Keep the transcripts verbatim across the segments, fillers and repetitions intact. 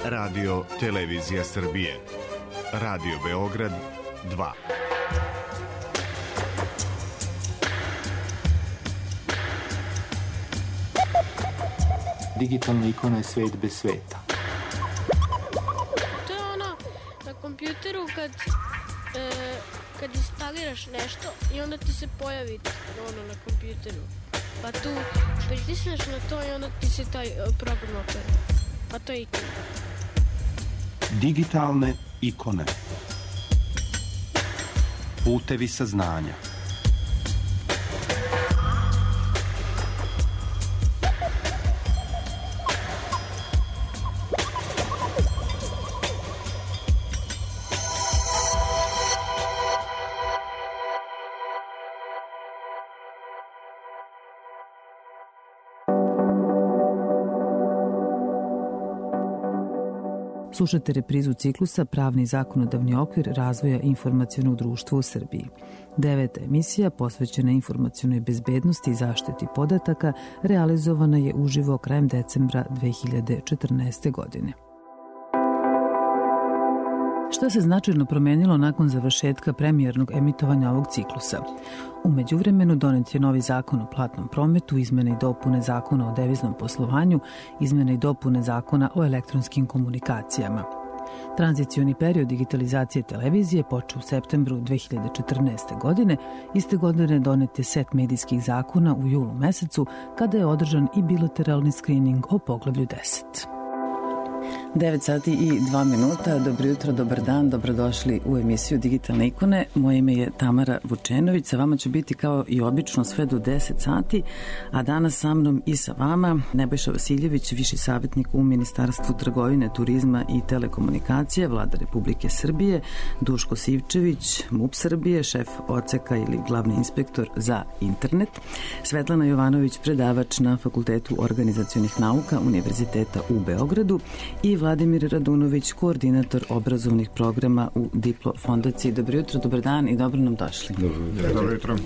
Radio Televizija Srbije. Radio Beograd dva. Digitalna ikona je svet bez sveta. To je ono na kompjuteru kad, e, kad instaliraš nešto i onda ti se pojavi ono na kompjuteru. Pa tu pritisneš na to i onda ti se taj program opere. Pa to je ikona. Digitalne ikone. Putevi saznanja. Slušate reprizu ciklusa Pravni zakonodavni okvir razvoja informacionog društva u Srbiji. Deveta emisija posvećena informacionoj bezbednosti i zaštiti podataka realizovana je uživo krajem decembra dve hiljade četrnaeste. godine. Šta se značajno promenilo nakon završetka premijernog emitovanja ovog ciklusa? U međuvremenu donet je novi zakon o platnom prometu, izmene i dopune zakona o deviznom poslovanju, izmene i dopune zakona o elektronskim komunikacijama. Tranzicioni period digitalizacije televizije počeo u septembru dve hiljade četrnaeste. godine. Iste godine donet je set medijskih zakona u julu mesecu, kada je održan i bilateralni skrining o poglavlju deset. devet sati i dva minuta. Dobro jutro, dobar dan, dobrodošli u emisiju Digitalne ikone. Moje ime je Tamara Vučenović, sa vama ću biti kao i obično sve do deset sati, a danas sa mnom i sa vama Nebojša Vasiljević, viši savjetnik u Ministarstvu trgovine, turizma i telekomunikacije Vlade Republike Srbije, Duško Sivčević, MUP Srbije, šef odseka ili glavni inspektor za internet, Svetlana Jovanović, predavač na Fakultetu organizacionih nauka Univerziteta u Beogradu i Vladimir Radunović, koordinator obrazovnih programa u Diplo fondaciji. Dobro jutro, dobar dan i dobro nam došli. Dobro, dobro jutro.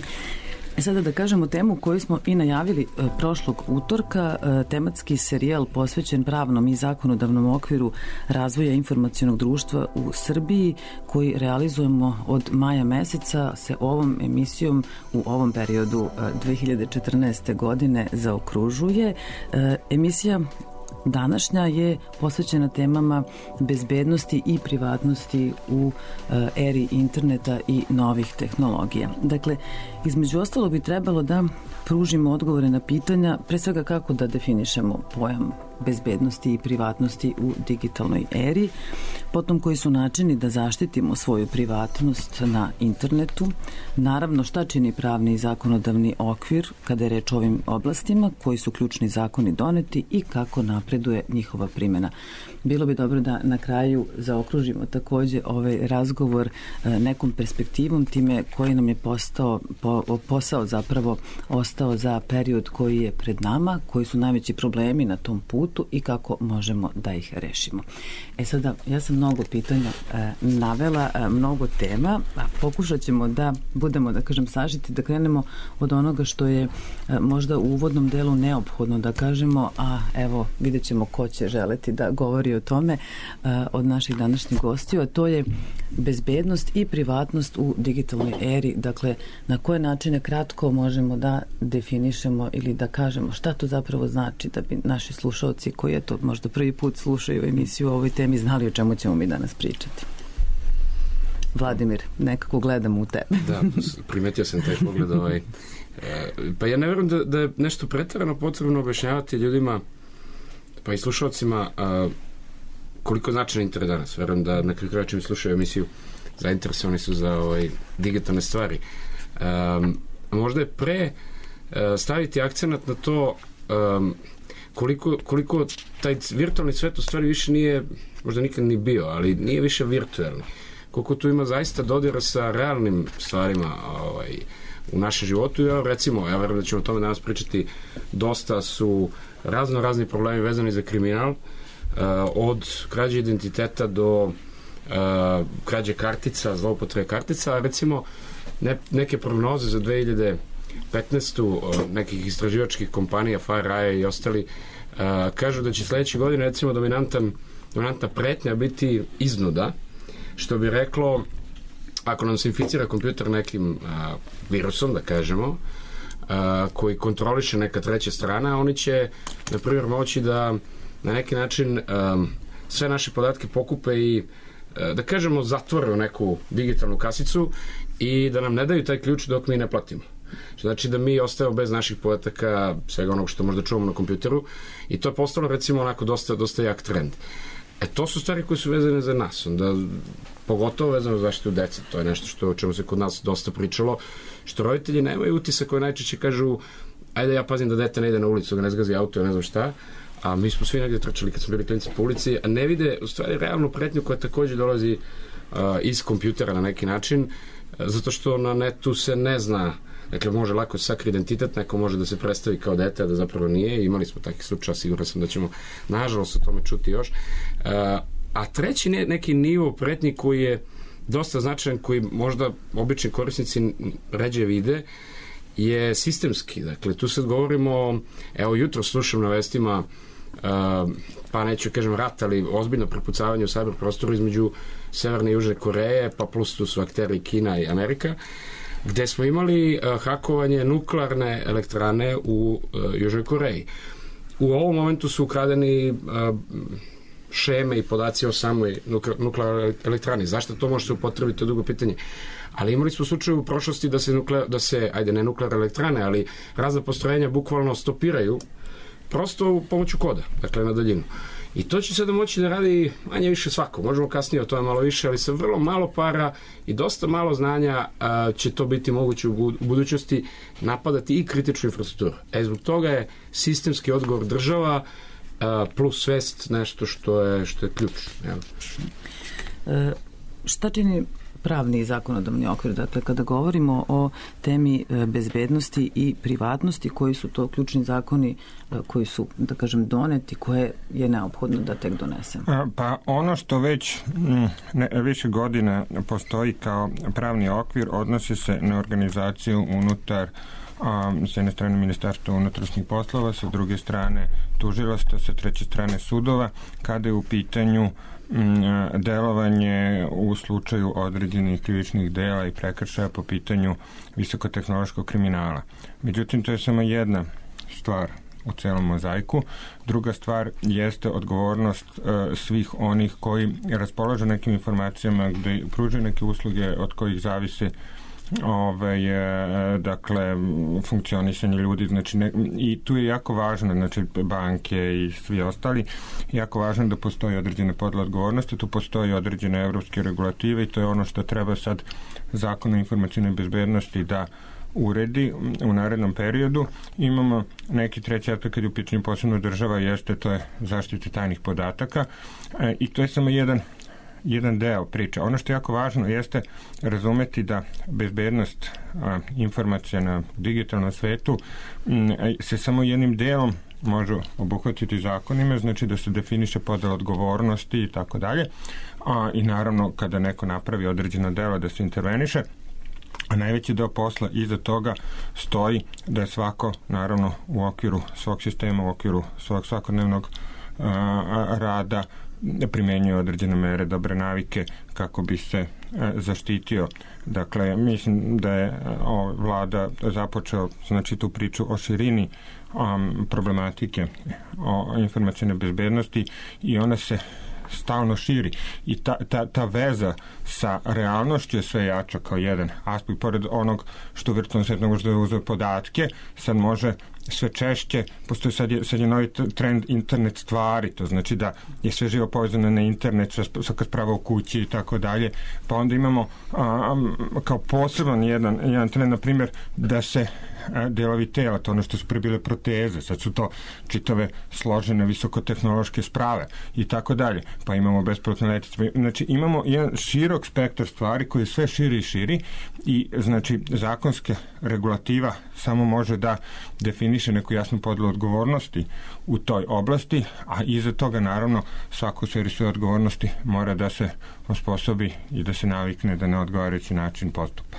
E sada da kažemo temu koju smo i najavili e, prošlog utorka, e, tematski serijal posvećen pravnom i zakonodavnom okviru razvoja informacionog društva u Srbiji, koji realizujemo od maja meseca, se ovom emisijom u ovom periodu e, dve hiljade četrnaeste. godine zaokružuje. E, emisija današnja je posvećena temama bezbednosti i privatnosti u eri interneta i novih tehnologija. Dakle, između ostalo bi trebalo da pružimo odgovore na pitanja, pre svega kako da definišemo pojam bezbednosti i privatnosti u digitalnoj eri, potom koji su načini da zaštitimo svoju privatnost na internetu, naravno šta čini pravni i zakonodavni okvir kada je reč o ovim oblastima, koji su ključni zakoni doneti i kako napreduje njihova primjena. Bilo bi dobro da na kraju zaokružimo takođe ovaj razgovor nekom perspektivom, time koji nam je postao, po, posao zapravo ostao za period koji je pred nama, koji su najveći problemi na tom putu i kako možemo da ih rešimo. E sada, ja sam mnogo pitanja e, navela, e, mnogo tema, a pokušat ćemo da budemo, da kažem, sažiti, da krenemo od onoga što je e, možda u uvodnom delu neophodno da kažemo, a evo, vidjet ćemo ko će želeti da govori o tome e, od naših današnjih gostiju, a to je bezbednost i privatnost u digitalnoj eri. Dakle, na koje načine kratko možemo da definišemo ili da kažemo šta to zapravo znači, da bi naši slušalci koji je to možda prvi put slušaju emisiju o ovoj temi znali o čemu ćemo mi danas pričati. Vladimir, nekako gledam u tebe. Da, primetio sam taj pogled. Ovaj. Pa ja ne verujem da, da je nešto pretjerano potrebno objašnjavati ljudima, pa i slušalcima, koliko značajan internet danas. Verujem da na kraju kraja čim slušaju emisiju zainteresovani su za ovaj, digitalne stvari. Um, možda je pre uh, staviti akcenat na to um, koliko, koliko taj virtualni svet u stvari više nije, možda nikad ni bio, ali nije više virtualni. Koliko tu ima zaista dodira sa realnim stvarima ovaj, u našem životu. Ja, recimo, ja verujem da ćemo o tome danas pričati, dosta su razno razni problemi vezani za kriminal, uh, od krađe identiteta do uh, krađe kartica, zloupotrebe kartica, a recimo ne, neke prognoze za dve hiljade petnaestu. Uh, nekih istraživačkih kompanija, FireEye i ostali, uh, kažu da će sledeće godine recimo dominantan dominantna pretnja biti iznuda, što bi reklo, ako nam se inficira kompjuter nekim a, virusom, da kažemo, a, koji kontroliše neka treća strana, oni će, na primjer, moći da na neki način a, sve naše podatke pokupe i, a, da kažemo, zatvore u neku digitalnu kasicu i da nam ne daju taj ključ dok mi ne platimo. Znači da mi ostajemo bez naših podataka, svega onog što možda čuvamo na kompjuteru, i to je postalo, recimo, onako dosta, dosta jak trend. E, to su stvari koje su vezane za nas, onda pogotovo vezano za zaštitu dece. To je nešto što, o čemu se kod nas dosta pričalo, što roditelji nemaju utisak koji najčešće kažu, ajde ja pazim da dete ne ide na ulicu, da ne zgazi auto, ne znam šta, a mi smo svi negdje trčali kad smo bili klinci po ulici, a ne vide u stvari realnu pretnju koja također dolazi uh, iz kompjutera na neki način, uh, zato što na netu se ne zna. Dakle, može lako sakri identitet, neko može da se predstavi kao dete, a da zapravo nije. Imali smo takih slučaja, sigurno sam da ćemo nažalost o tome čuti još. A treći neki nivo pretnji koji je dosta značajan, koji možda obični korisnici ređe vide, je sistemski. Dakle, tu sad govorimo, evo jutro slušam na vestima, pa neću kažem rat, ali ozbiljno prepucavanje u cyber prostoru između Severne i Južne Koreje, pa plus tu su akteri Kina i Amerika, gde smo imali uh, hakovanje nuklearne elektrane u uh, Južnoj Koreji. U ovom momentu su ukradeni uh, šeme i podaci o samoj nuklearnoj elektrani. Zašto to može se upotrebiti, to je drugo pitanje. Ali imali smo slučaj u prošlosti da se, nukle, da se ajde ne nuklearne elektrane, ali razna postrojenja bukvalno stopiraju prosto pomoću koda, dakle na daljinu. I to će sada moći da radi manje više svako. Možemo kasnije o tome malo više, ali sa vrlo malo para i dosta malo znanja a, će to biti moguće u budućnosti napadati i kritičnu infrastrukturu. E, zbog toga je sistemski odgovor država a, plus svest nešto što je, što je ključ. E, šta čini pravni i zakonodavni okvir? Dakle, kada govorimo o temi bezbednosti i privatnosti, koji su to ključni zakoni koji su, da kažem, doneti, koje je neophodno da tek donesemo? Pa ono što već ne, više godina postoji kao pravni okvir odnosi se na organizaciju unutar a, s jedne strane Ministarstva unutrašnjih poslova, sa druge strane tužilaštva, sa treće strane sudova, kada je u pitanju delovanje u slučaju određenih krivičnih dela i prekršaja po pitanju visokotehnološkog kriminala. Međutim, to je samo jedna stvar u celom mozaiku. Druga stvar jeste odgovornost uh, svih onih koji raspolažu nekim informacijama, gde pružaju neke usluge od kojih zavise Ove, je, dakle, funkcionisanje ljudi, znači ne, i tu je jako važno, znači banke i svi ostali, jako važno da postoji određene podle odgovornosti, tu postoji određene evropske regulative i to je ono što treba sad Zakon o informacijnoj bezbednosti da uredi u narednom periodu. Imamo neki treći aspekt kad je u pitanju posebno država, jeste to je zaštita tajnih podataka e, i to je samo jedan jedan deo priče. Ono što je jako važno jeste razumeti da bezbednost a, informacija na digitalnom svetu m, se samo jednim delom može obuhvatiti zakonima, znači da se definiše podela odgovornosti i tako dalje. A i naravno kada neko napravi određeno delo da se interveniše, a najveći deo posla iza toga stoji da je svako naravno u okviru svog sistema, u okviru svog svakodnevnog a, rada primenjuje određene mere, dobre navike kako bi se e, zaštitio. Dakle, mislim da je o, vlada započeo znači tu priču o širini um, problematike o informacijne bezbednosti i ona se stalno širi i ta, ta, ta veza sa realnošću je sve jača kao jedan aspekt, pored onog što virtualno svet ne može da uzeo podatke, sad može sve češće, postoji sad je, sad je novi trend internet stvari, to znači da je sve živo povezano na internet, svaka sprava u kući i tako dalje, pa onda imamo a, kao poseban jedan, jedan trend, na primjer, da se a, delovi tela, to ono što su pre bile proteze, sad su to čitave složene visokotehnološke sprave i tako dalje, pa imamo bespilotne letjelice, znači imamo jedan širok spektar stvari koji je sve širi i širi i znači zakonska regulativa samo može da definiše neku jasnu podelu odgovornosti u toj oblasti, a iza toga naravno svako u sferi svoje odgovornosti mora da se osposobi i da se navikne da na odgovarajući način postupa.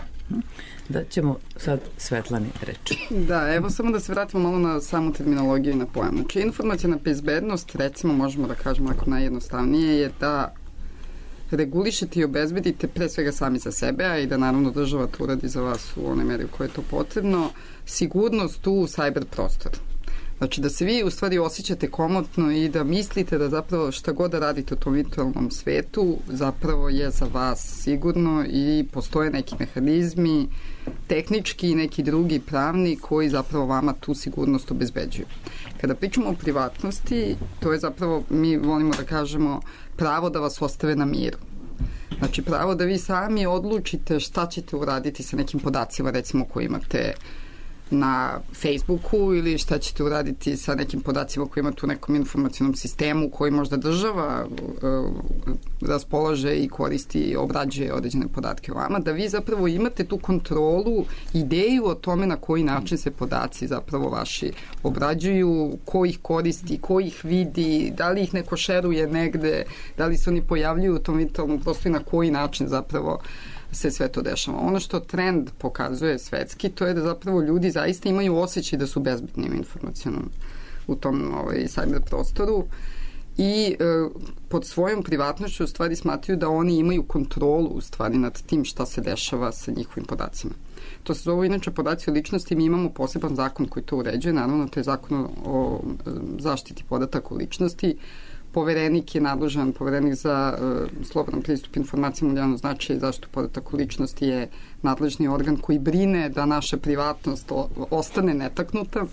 Da ćemo sad Svetlani reći. Da, evo samo da se vratimo malo na samu terminologiju i na pojam. Znači, informacijna bezbednost, recimo, možemo da kažemo ako najjednostavnije, je da regulišete i obezbedite pre svega sami za sebe, a i da naravno država to uradi za vas u onoj meri u kojoj je to potrebno, sigurnost u cyber prostoru. Znači da se vi u stvari osjećate komotno i da mislite da zapravo šta god da radite u tom virtualnom svetu zapravo je za vas sigurno i postoje neki mehanizmi tehnički i neki drugi pravni koji zapravo vama tu sigurnost obezbeđuju. Kada pričamo o privatnosti, to je zapravo, mi volimo da kažemo, pravo da vas ostave na miru. Znači pravo da vi sami odlučite šta ćete uraditi sa nekim podacima, recimo koji imate na Facebooku ili šta ćete uraditi sa nekim podacima koji imate u nekom informacionom sistemu koji možda država uh, raspolaže i koristi i obrađuje određene podatke o vama, da vi zapravo imate tu kontrolu, ideju o tome na koji način se podaci zapravo vaši obrađuju, ko ih koristi, ko ih vidi, da li ih neko šeruje negde, da li se oni pojavljuju u tom virtualnom prostoru i na koji način zapravo se sve to dešava. Ono što trend pokazuje svetski, to je da zapravo ljudi zaista imaju osjećaj da su bezbedni u informacionom u tom ovaj, cyber prostoru i e, pod svojom privatnošću u stvari smatruju da oni imaju kontrolu u stvari nad tim šta se dešava sa njihovim podacima. To se zove inače podaci o ličnosti, mi imamo poseban zakon koji to uređuje, naravno to je zakon o zaštiti podataka o ličnosti. Poverenik je nadležan, poverenik za uh, slobodan pristup informacijama od javnog značaja i zaštitu podataka o ličnosti je nadležni organ koji brine da naša privatnost o, ostane netaknuta.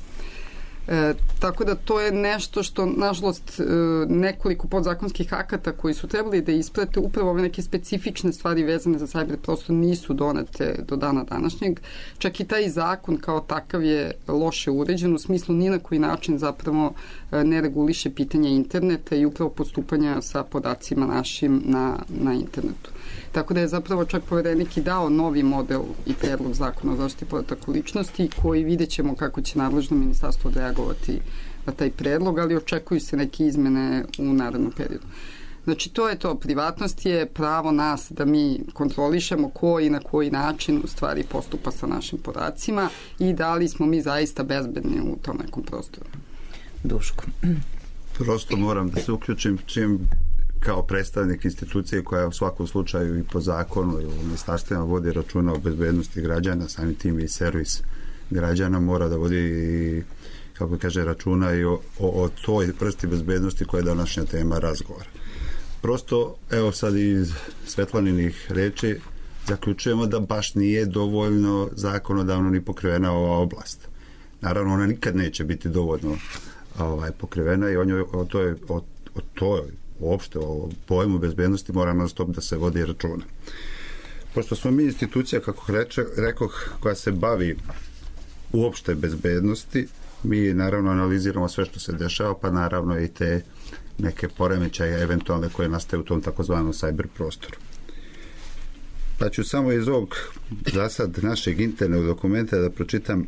E, tako da to je nešto što, nažalost, e, nekoliko podzakonskih akata koji su trebali da isprate upravo ove neke specifične stvari vezane za cyber prostor nisu donete do dana današnjeg. Čak i taj zakon kao takav je loše uređen, u smislu ni na koji način zapravo e, ne reguliše pitanje interneta i upravo postupanja sa podacima našim na, na internetu. Tako da je zapravo čak poverenik i dao novi model i predlog zakona o zaštiti podataka o ličnosti koji vidjet ćemo kako će nadležno ministarstvo reagovati na taj predlog, ali očekuju se neke izmene u narednom periodu. Znači to je to, privatnost je pravo nas da mi kontrolišemo ko i na koji način u stvari postupa sa našim podacima i da li smo mi zaista bezbedni u tom nekom prostoru. Duško. Prosto moram da se uključim čim kao predstavnik institucije koja u svakom slučaju i po zakonu i u ministarstvima vodi računa o bezbednosti građana, samim tim i servis građana mora da vodi i, kako kaže, računa i o, o, o toj vrsti bezbednosti koja je današnja tema razgovora. Prosto, evo sad iz Svetlaninih reči zaključujemo da baš nije dovoljno zakonodavno ni pokrivena ova oblast. Naravno, ona nikad neće biti dovoljno ovaj, pokrivena i o, njoj, o toj, o, o toj uopšte o pojmu bezbednosti mora non stop da se vodi računa. Pošto smo mi institucija, kako reče, rekoh, koja se bavi uopšte bezbednosti, mi naravno analiziramo sve što se dešava, pa naravno i te neke poremećaje eventualne koje nastaju u tom takozvanom cyber prostoru. Pa ću samo iz ovog zasad našeg internog dokumenta da pročitam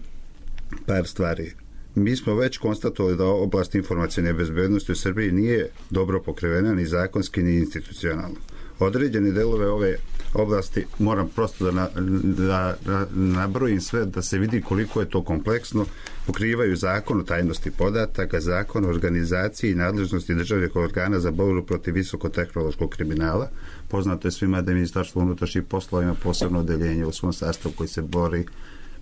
par stvari. Mi smo već konstatovali da oblast informacijne bezbednosti u Srbiji nije dobro pokrivena ni zakonski ni institucionalno. Određene delove ove oblasti moram prosto da, na, da, da nabrojim sve da se vidi koliko je to kompleksno. Pokrivaju zakon o tajnosti podataka, zakon o organizaciji i nadležnosti državnih organa za borbu protiv visokotehnološkog kriminala. Poznato je svima da je Ministarstvo unutrašnjih poslova ima posebno odeljenje u svom sastavu koji se bori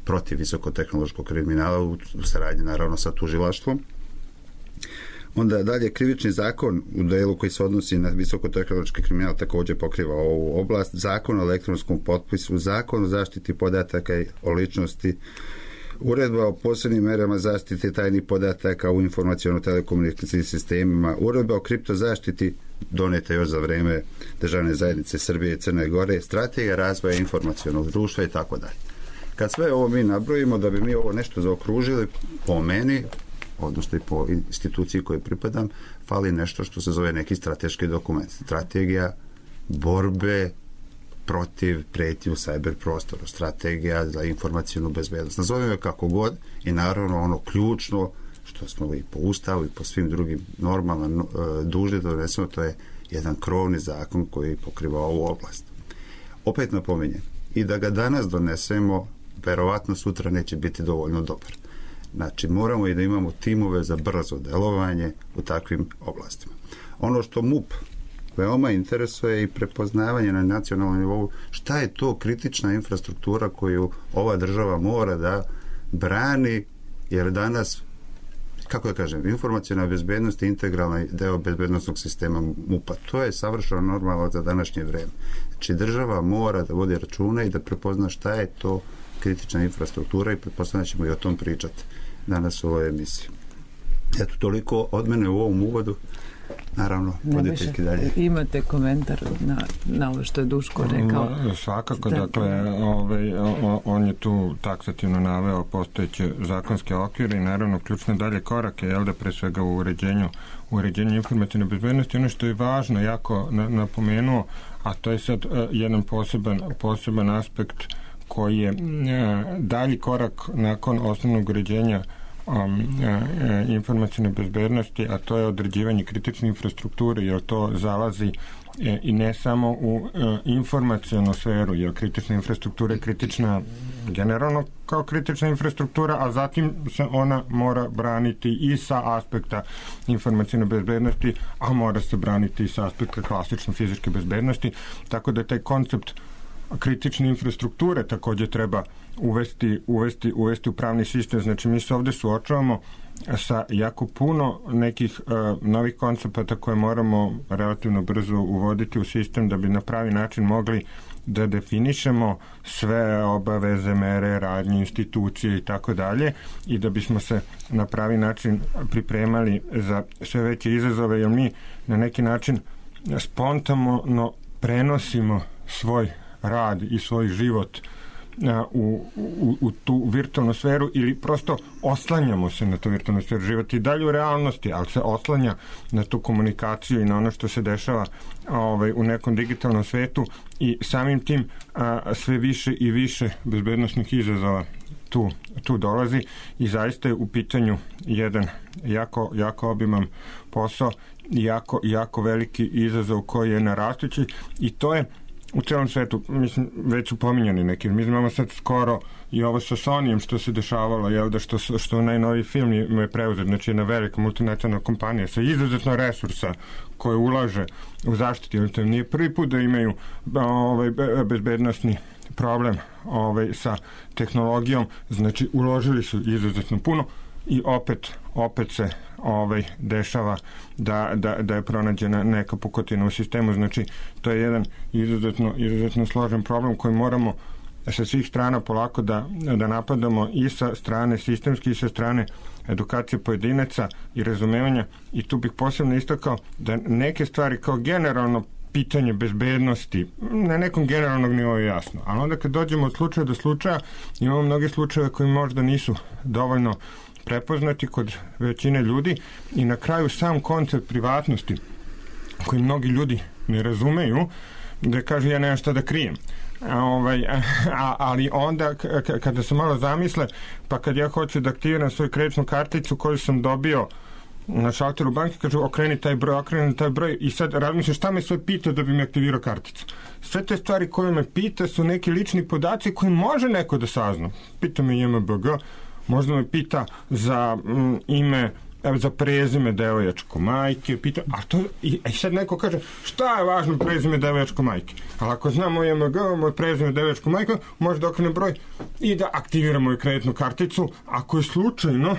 protiv visokotehnološkog kriminala u saradnji naravno sa tužilaštvom. Onda dalje krivični zakon u delu koji se odnosi na visokotehnološki kriminal također pokriva ovu oblast, zakon o elektronskom potpisu, zakon o zaštiti podataka i o ličnosti, uredba o posebnim merama zaštite tajnih podataka u informaciono-telekomunikacijskim sistemima, uredba o kriptozaštiti doneta još za vreme državne zajednice Srbije i Crne Gore, strategija razvoja informacionog društva i tako dalje. Kad sve ovo mi nabrojimo, da bi mi ovo nešto zaokružili, po meni, odnosno i po instituciji kojoj pripadam, fali nešto što se zove neki strateški dokument. Strategija borbe protiv pretnji u cyber prostoru, strategija za informacijnu bezbednost. Nazovimo je kako god i naravno ono ključno što smo i po ustavu i po svim drugim normama dužni da donesemo, to je jedan krovni zakon koji pokriva ovu oblast. Opet napominjem, i da ga danas donesemo, verovatno sutra neće biti dovoljno dobar. Znači, moramo i da imamo timove za brzo delovanje u takvim oblastima. Ono što MUP veoma interesuje i prepoznavanje na nacionalnom nivou, šta je to kritična infrastruktura koju ova država mora da brani, jer danas, kako da kažem, informaciona bezbednost je integralni deo bezbednostnog sistema MUP-a. To je savršeno normalno za današnje vreme. Znači, država mora da vodi računa i da prepozna šta je to kritična infrastruktura i pretpostavljamo ćemo i o tom pričati danas u ovoj emisiji. Eto, toliko od mene u ovom uvodu. Naravno, voditeljki dalje. Imate komentar na, na ovo što je Duško rekao? No, svakako, da, dakle, ovaj, on je tu taksativno naveo postojeće zakonske okvire i naravno ključne dalje korake, jel da, pre svega u uređenju, u uređenju informacijne bezbednosti. Ono što je važno, jako napomenuo, a to je sad jedan poseban, poseban aspekt koji je dalji korak nakon osnovnog uređenja Um, e, informacijne bezbednosti, a to je određivanje kritične infrastrukture, jer to zalazi e, i ne samo u e, informacijonu sferu, jer kritična infrastruktura je kritična generalno kao kritična infrastruktura, a zatim se ona mora braniti i sa aspekta informacijne bezbednosti, a mora se braniti i sa aspekta klasične fizičke bezbednosti, tako da taj koncept kritične infrastrukture također treba uvesti, uvesti, uvesti u pravni sistem. Znači, mi se ovdje suočavamo sa jako puno nekih uh, novih koncepata koje moramo relativno brzo uvoditi u sistem da bi na pravi način mogli da definišemo sve obaveze, mere, radnje, institucije i tako dalje, i da bismo se na pravi način pripremali za sve veće izazove, jer mi na neki način spontano prenosimo svoj rad i svoj život u, u, u tu virtualnu sferu ili prosto oslanjamo se na tu virtualnu sferu. Život i dalje u realnosti, ali se oslanja na tu komunikaciju i na ono što se dešava ovaj, u nekom digitalnom svetu, i samim tim a, sve više i više bezbednosnih izazova tu, tu dolazi, i zaista je u pitanju jedan jako, jako obiman posao i jako, jako veliki izazov koji je narastući, i to je u celom svetu. Mislim, već su pominjani neki. Mi znamo sad skoro i ovo sa Sonyjem što se dešavalo, jel da, što, što najnoviji film je preuzet, znači jedna velika multinacionalna kompanija sa izuzetno resursa koje ulaže u zaštiti, jer to nije prvi put da imaju ovaj, bezbednosni problem ovaj, sa tehnologijom, znači uložili su izuzetno puno, i opet, opet se ovaj, dešava da, da, da je pronađena neka pukotina u sistemu. Znači, to je jedan izuzetno, izuzetno složen problem koji moramo sa svih strana polako da, da napadamo, i sa strane sistemski i sa strane edukacije pojedinaca i razumevanja. I tu bih posebno istakao da neke stvari kao generalno pitanje bezbednosti na nekom generalnog nivou je jasno, ali onda kad dođemo od slučaja do slučaja, imamo mnoge slučaje koji možda nisu dovoljno prepoznati kod većine ljudi, i na kraju sam koncept privatnosti koji mnogi ljudi ne razumeju, da kaže ja nemam šta da krijem. A, ovaj, a, ali onda k- k- kada se malo zamisle, pa kad ja hoću da aktiviram svoju kreditnu karticu koju sam dobio na šalteru banke, kažu okreni taj broj, okreni taj broj, i sad razmišljam šta me sve pita da bi mi aktivirao karticu. Sve te stvari koje me pita su neki lični podaci koji može neko da sazna. Pita me J M B G, možda me pita za mm, ime, za prezime devojačko majke, pita, a to, i, i sad neko kaže, šta je važno prezime devojačko majke? Ali ako znamo J M G, moj prezime devojačko majke, može da okrene broj i da aktiviramo i kreditnu karticu, ako je slučajno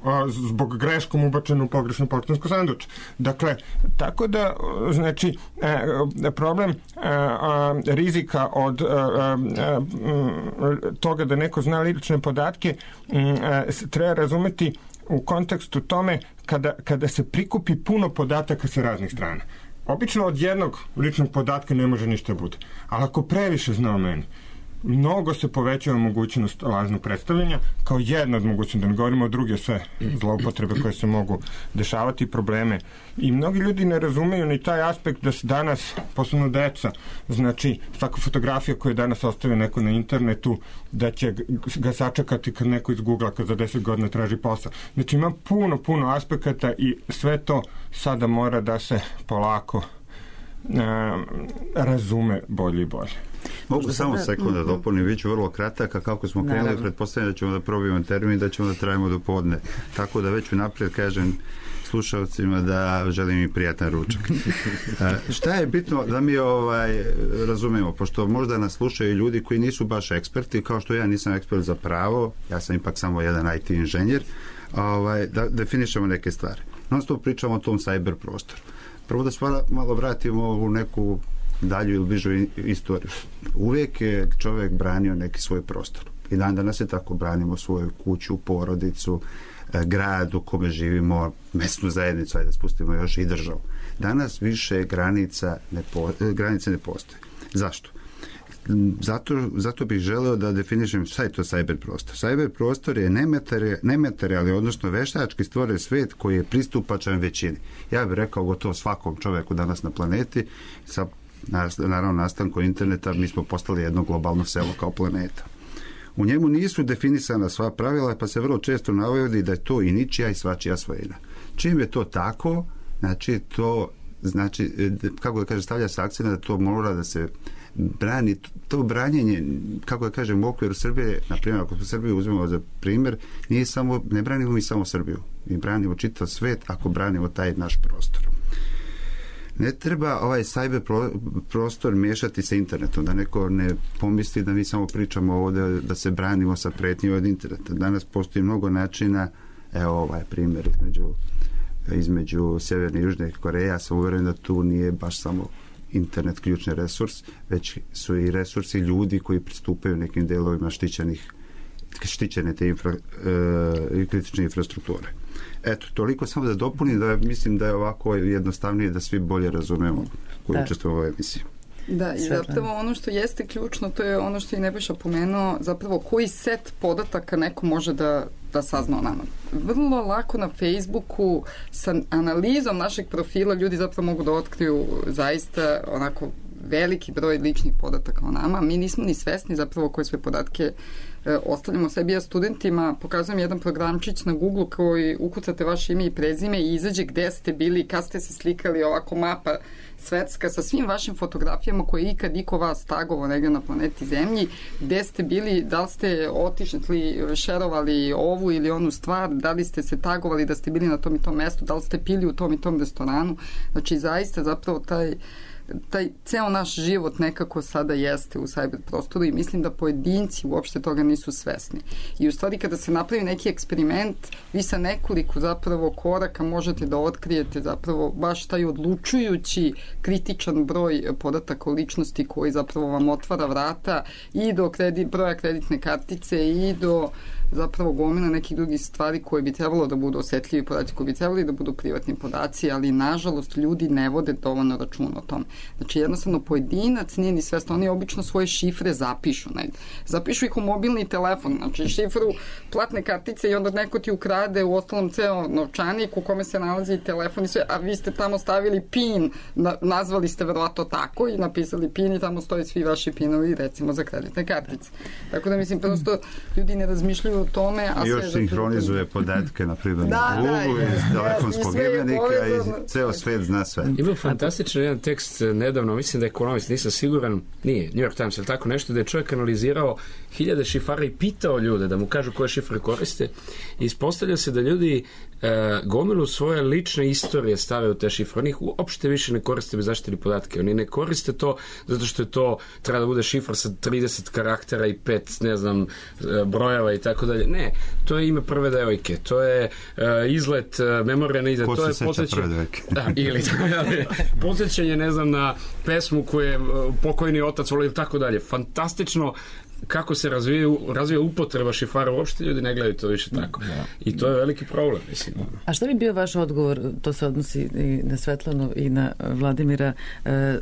a, zbog greškom ubačeno u pogrešno poštansko sanduče. Dakle, tako da, znači, e, problem e, a, rizika od a, a, a, toga da neko zna lične podatke a, treba razumeti u kontekstu tome kada, kada se prikupi puno podataka sa raznih strana. Obično od jednog ličnog podatka ne može ništa bude. Ali ako previše zna o meni, mnogo se povećava mogućnost lažnog predstavljanja kao jedna od mogućnosti, da ne govorimo o druge sve zloupotrebe koje se mogu dešavati, probleme. I mnogi ljudi ne razumeju ni taj aspekt da se danas, posebno deca, znači svaka fotografija koju danas ostavi neko na internetu, da će ga sačekati kad neko iz Google-a kad za deset godina traži posao. Znači ima puno, puno aspekata i sve to sada mora da se polako uh, razume bolje i bolje. Mogu samo sada... sekund da dopunim, bit ću vrlo kratak, a kako smo krenuli, Naravno. pretpostavljam da ćemo da probijemo termin, da ćemo da trajimo do podne. Tako da već unaprijed kažem slušalcima da želim im prijatan ručak. E, šta je bitno da mi ovaj razumemo, pošto možda nas slušaju ljudi koji nisu baš eksperti, kao što ja nisam ekspert za pravo, ja sam ipak samo jedan I T inženjer, ovaj, da definišemo neke stvari. Non stop pričamo o tom cyber prostoru. Prvo da se malo vratimo u neku dalju ili bližu istoriju. Uvijek je čovjek branio neki svoj prostor. I dan danas je tako, branimo svoju kuću, porodicu, grad u kome živimo, mesnu zajednicu, ajde da spustimo još i državu. Danas više granica ne, po, granice ne postoje. Zašto? Zato, zato bih želeo da definišem šta je to cyber prostor. Cyber prostor je nematerijalni, nematerijalni, odnosno veštački stvoren svet koji je pristupačan većini. Ja bih rekao gotovo svakom čoveku danas na planeti, sa naravno nastanku interneta mi smo postali jedno globalno selo kao planeta. U njemu nisu definisana sva pravila, pa se vrlo često navodi da je to i ničija i svačija svojina. Čim je to tako, znači to, znači, kako da kaže, stavlja se akcent da to mora da se brani, to branjenje, kako da kažem, u okviru Srbije, na primjer, ako smo Srbiju uzmemo za primjer, nije samo, ne branimo mi samo Srbiju, mi branimo čitav svet ako branimo taj naš prostor. Ne treba ovaj cyber pro, prostor miješati sa internetom, da neko ne pomisli da mi samo pričamo ovdje da se branimo sa pretnjima od interneta. Danas postoji mnogo načina, evo ovaj primjer između, između Sjeverne i Južne Koreje, ja sam uvjeren da tu nije baš samo internet ključni resurs, već su i resursi ljudi koji pristupaju nekim delovima štićenih, štićene te infra, e, kritične infrastrukture. Eto, toliko samo da dopunim, da mislim da je ovako jednostavnije da svi bolje razumemo koji učestvuju u ovoj emisiji. Da, i zapravo ono što jeste ključno, to je ono što je Nebojša pomenuo, zapravo koji set podataka neko može da, da sazna o nama. Vrlo lako na Facebooku sa analizom našeg profila ljudi zapravo mogu da otkriju zaista onako veliki broj ličnih podataka o nama. Mi nismo ni svesni zapravo koje sve podatke e, ostavljamo sebi. Ja studentima pokazujem jedan programčić na Google koji ukucate vaše ime i prezime i izađe gde ste bili, kad ste se slikali, ovako mapa svetska sa svim vašim fotografijama koje ikad iko vas tagovao negdje na planeti Zemlji, gde ste bili, da li ste otišli, šerovali ovu ili onu stvar, da li ste se tagovali da ste bili na tom i tom mestu, da li ste pili u tom i tom restoranu. Znači, zaista zapravo taj taj ceo naš život nekako sada jeste u cyber prostoru i mislim da pojedinci uopšte toga nisu svesni. I u stvari kada se napravi neki eksperiment, vi sa nekoliko zapravo koraka možete da otkrijete zapravo baš taj odlučujući kritičan broj podataka o ličnosti koji zapravo vam otvara vrata i do kredit, broja kreditne kartice i do zapravo gomila nekih drugih stvari koje bi trebalo da budu osetljivi podaci, koji bi trebali da budu privatni podaci, ali nažalost ljudi ne vode dovoljno računa o tom. Znači jednostavno pojedinac nije ni svestan, oni obično svoje šifre zapišu negdje. Zapišu ih u mobilni telefon, znači šifru platne kartice i onda neko ti ukrade u ostalom ceo novčanik u kome se nalazi telefon i sve, a vi ste tamo stavili pin, na, nazvali ste verovatno tako i napisali pin i tamo stoji svi vaši pinovi recimo za kreditne kartice. Tako da mislim prosto ljudi ne razmišljaju o tome. A još sinhronizuje podatke na primjer da, Google, da, iz telefonskog imenika i ceo svet zna sve. Ima fantastičan jedan tekst nedavno, mislim da je ekonomist, nisam siguran, nije, New York Times ili tako nešto, da je čovjek analizirao hiljade šifara i pitao ljude da mu kažu koje šifre koriste i ispostavlja se da ljudi e, gomilu svoje lične istorije stave u te šifre. Oni ih uopšte više ne koriste bez zaštitili podatke. Oni ne koriste to zato što je to treba da bude šifra sa trideset karaktera i pet, ne znam, brojeva i tako dalje. Ne, to je ime prve devojke, to je uh, izlet, uh, memorija na izlet, to je posjećanje, da, ili posjećanje, ne znam, na pesmu koju je uh, pokojni otac volio i tako dalje. Fantastično kako se razvija, razvija upotreba šifara, uopšte ljudi ne gledaju to više tako. Da. I to je veliki problem, mislim. A šta bi bio vaš odgovor, to se odnosi i na Svetlanu i na Vladimira,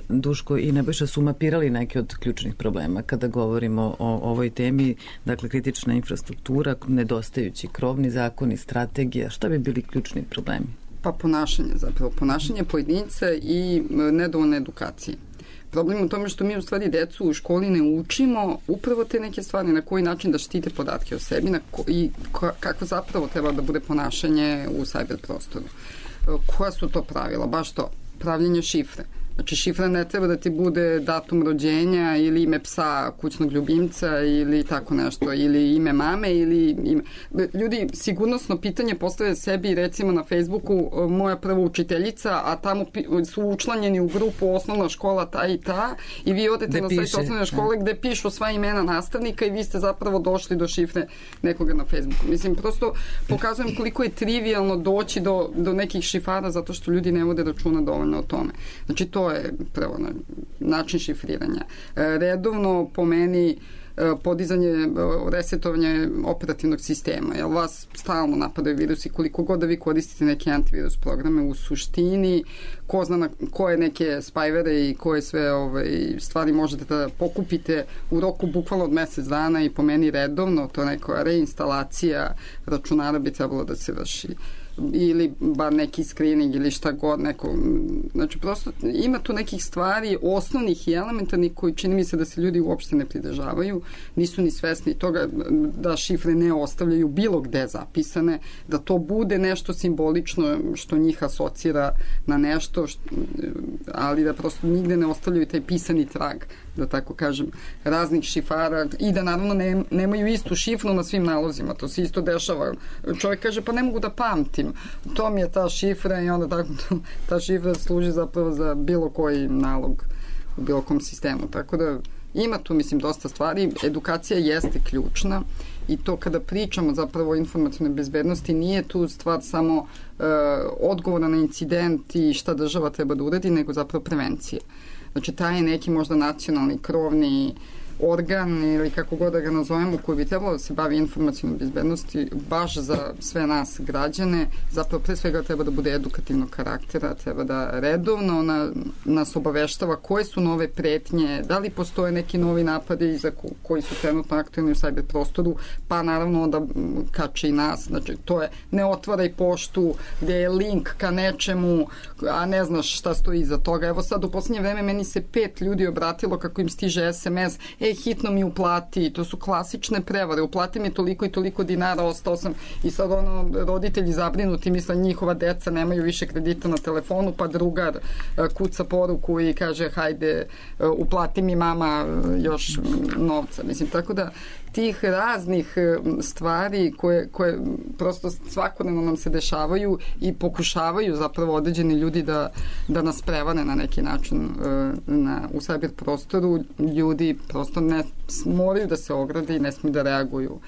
Duško i Nebojša su mapirali neke od ključnih problema kada govorimo o ovoj temi, dakle kritična infrastruktura, nedostajući krovni zakoni, strategija, šta bi bili ključni problemi? Pa ponašanje zapravo, ponašanje pojedinca i nedovoljne edukacije. Problem u tome što mi u stvari decu u školi ne učimo upravo te neke stvari, na koji način da štite podatke o sebi na ko, i ko, kako zapravo treba da bude ponašanje u cyber prostoru. Koja su to pravila? Baš to, pravljenje šifre. Znači, šifra ne treba da ti bude datum rođenja ili ime psa, kućnog ljubimca ili tako nešto, ili ime mame ili ime... Ljudi sigurnosno pitanje postave sebi, recimo na Facebooku, moja prva učiteljica, a tamo su učlanjeni u grupu osnovna škola ta i ta i vi odete gde na sajt osnovne škole gde pišu sva imena nastavnika i vi ste zapravo došli do šifre nekoga na Facebooku. Mislim, prosto pokazujem koliko je trivialno doći do, do nekih šifara zato što ljudi ne vode računa dovoljno o tome. Znači, to je prvo način šifriranja. Redovno po meni podizanje, resetovanje operativnog sistema. Jel vas stalno napadaju virusi, koliko god da vi koristite neke antivirus programe, u suštini ko zna na koje neke spyware i koje sve ovaj, stvari možete da pokupite u roku bukvalno od mesec dana i po meni redovno, to neka reinstalacija računara bi trebalo da se vrši ili bar neki screening ili šta god neko, znači prosto ima tu nekih stvari osnovnih i elementarnih koji čini mi se da se ljudi uopšte ne pridržavaju, nisu ni svesni toga da šifre ne ostavljaju bilo gde zapisane, da to bude nešto simbolično što njih asocira na nešto, što, ali da prosto nigde ne ostavljaju taj pisani trag, da tako kažem, raznih šifara i da naravno ne, nemaju istu šifru na svim nalozima, to se isto dešava. Čovjek kaže, pa ne mogu da pamtim, to mi je ta šifra i onda tako, ta šifra služi zapravo za bilo koji nalog u bilo kom sistemu, tako da ima tu, mislim, dosta stvari. Edukacija jeste ključna i to kada pričamo zapravo o informacionoj bezbednosti nije tu stvar samo uh, odgovora na incident i šta država treba da uradi, nego zapravo prevencija. Znači, taj je neki možda nacionalni krovni organ ili kako god da ga nazovemo koji bi trebalo da se bavi informacionom bezbednosti baš za sve nas građane, zapravo pre svega treba da bude edukativnog karaktera, treba da redovno na, nas obaveštava koje su nove pretnje, da li postoje neki novi napadi za ko, koji su trenutno aktualni u cyber prostoru, pa naravno onda kače i nas, znači to je ne otvaraj poštu gde je link ka nečemu, a ne znaš šta stoji iza toga. Evo sad u poslednje vreme meni se pet ljudi obratilo kako im stiže es em es, e, hitno mi uplati, to su klasične prevare, uplati mi toliko i toliko dinara, ostao sam i sad ono, roditelji zabrinuti, misle njihova deca nemaju više kredita na telefonu, pa drugar kuca poruku i kaže hajde, uplati mi mama još novca, mislim, tako da tih raznih stvari koje, koje prosto svakodnevno nam se dešavaju i pokušavaju zapravo određeni ljudi da, da nas prevare na neki način na, u cyber prostoru, ljudi prosto ne moraju da se ograde i ne smiju da reaguju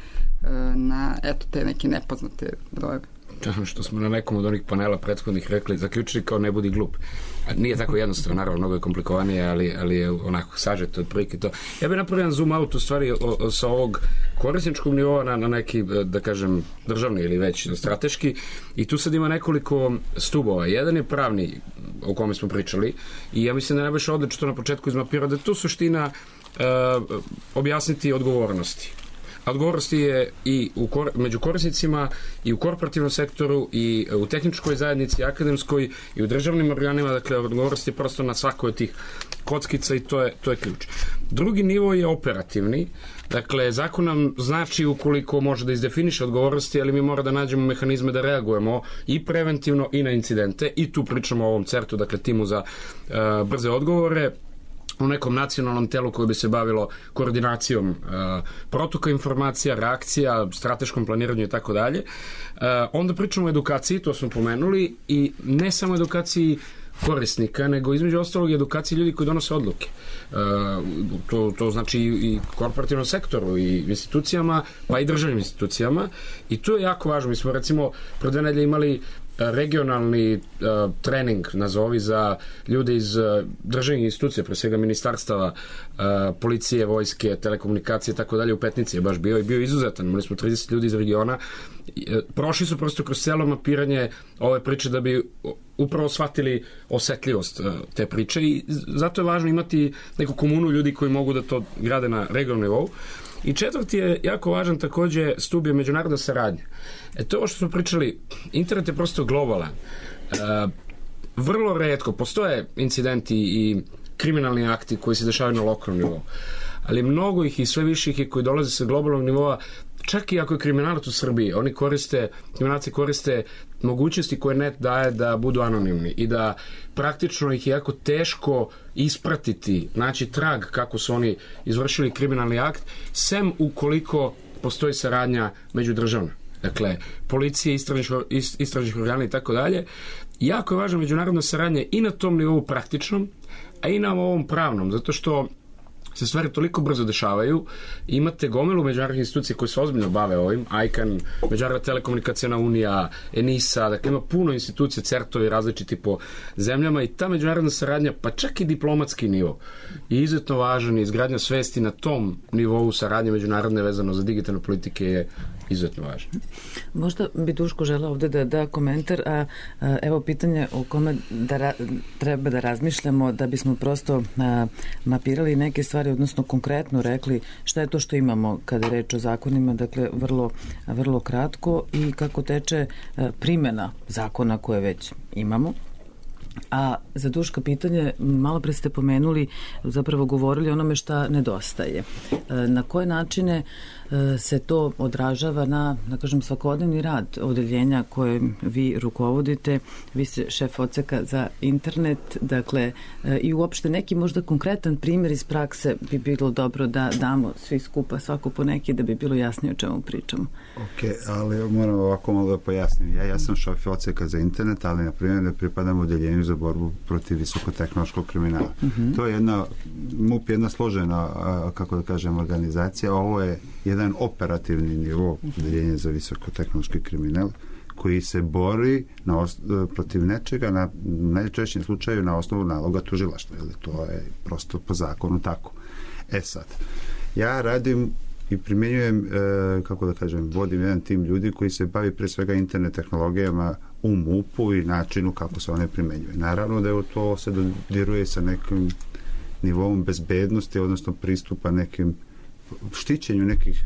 na eto te neke nepoznate brojeve. Što smo na nekom od onih panela prethodnih rekli, zaključili kao ne budi glup. Nije tako jednostavno, naravno, mnogo je komplikovanije, ali, ali je onako sažeto otprilike to. Ja bih napravio zoom out u stvari o, o, sa ovog korisničkog nivoa na, na neki, da kažem, državni ili već strateški, i tu sad ima nekoliko stubova. Jedan je pravni, o kome smo pričali, i ja mislim da je najbolje odlično na početku izmapirao da je tu suština e, objasniti odgovornosti. Odgovornosti je i u kor, među korisnicima i u korporativnom sektoru i u tehničkoj zajednici, akademskoj i u državnim organima, dakle odgovornosti je prosto na svakoj od tih kockica i to je, to je ključ. Drugi nivo je operativni, dakle zakon nam znači ukoliko može da izdefiniše odgovornosti, ali mi mora da nađemo mehanizme da reagujemo i preventivno i na incidente i tu pričamo o ovom certu, dakle timu za uh, brze odgovore, u nekom nacionalnom telu koje bi se bavilo koordinacijom uh, protoka informacija, reakcija, strateškom planiranju i tako dalje. Onda pričamo o edukaciji, to smo pomenuli, i ne samo edukaciji korisnika, nego između ostalog edukaciji ljudi koji donose odluke. Uh, to, to znači i korporativnom sektoru i institucijama, pa i državnim institucijama, i to je jako važno. Mi smo recimo pre dve nedelje imali regionalni uh, trening, nazovi, za ljude iz uh, državnih institucija, pre svega ministarstava, uh, policije, vojske, telekomunikacije i tako dalje, u Petnici je baš bio i bio izuzetan. Imali smo trideset ljudi iz regiona. Uh, prošli su prosto kroz celo mapiranje ove priče da bi upravo shvatili osetljivost uh, te priče, i zato je važno imati neku komunu ljudi koji mogu da to grade na regionalnom nivou. I četvrti je jako važan takođe stub je međunarodna saradnja. E to ovo što smo pričali, internet je prosto globalan. E, vrlo retko postoje incidenti i kriminalni akti koji se dešavaju na lokalnom nivou, ali mnogo ih i sve više ih je koji dolaze sa globalnog nivoa, čak i ako je kriminalac u Srbiji, oni koriste, kriminalci koriste mogućnosti koje net daje da budu anonimni i da praktično ih je jako teško ispratiti, naći trag kako su oni izvršili kriminalni akt, sem ukoliko postoji saradnja međudržavna. Dakle, policije, istražnih organa i tako dalje. Jako je važna međunarodna saradnja i na tom nivou praktičnom, a i na ovom pravnom, zato što se stvari toliko brzo dešavaju. Imate gomilu međunarodnih institucija koje se ozbiljno bave ovim, I C A N, Međunarodna telekomunikacijna unija, ENISA, dakle ima puno institucija, certovi različiti po zemljama i ta međunarodna saradnja, pa čak i diplomatski nivo, je izuzetno važan i izgradnja svesti na tom nivou saradnje međunarodne vezano za digitalne politike je izuzetno važno. Možda bi Duško želeo ovde da da komentar, a, a evo pitanje o kome da ra, treba da razmišljamo da bismo prosto a, mapirali neke stvari, odnosno konkretno rekli šta je to što imamo kada je reč o zakonima, dakle vrlo, vrlo kratko i kako teče a, primjena zakona koje već imamo. A za Duška pitanje, malo pre ste pomenuli, zapravo govorili o onome šta nedostaje. Na koje načine se to odražava na, da kažem, svakodnevni rad odeljenja koje vi rukovodite? Vi ste šef odseka za internet, dakle, i uopšte neki možda konkretan primjer iz prakse bi bilo dobro da damo svi skupa, svako po neki, da bi bilo jasnije o čemu pričamo. Ok, ali moram ovako malo da pojasnim. Ja, ja sam šef odseka za internet, ali na primjer ne pripadam odeljenju za borbu protiv visokotehnološkog kriminala. Mm-hmm. To je jedna, M U P je jedna složena, kako da kažem, organizacija. Ovo je jedan operativni nivo odeljenja za visokotehnološki kriminal koji se bori na os, protiv nečega, na najčešćem slučaju na osnovu naloga tužilaštva. Jer to je prosto po zakonu tako. E sad, ja radim i primjenjujem, kako da kažem, vodim jedan tim ljudi koji se bavi pre svega internet tehnologijama u M U P-u i načinu kako se one primenjuje. Naravno da je to se dodiruje sa nekim nivom bezbednosti, odnosno pristupa nekim štićenju nekih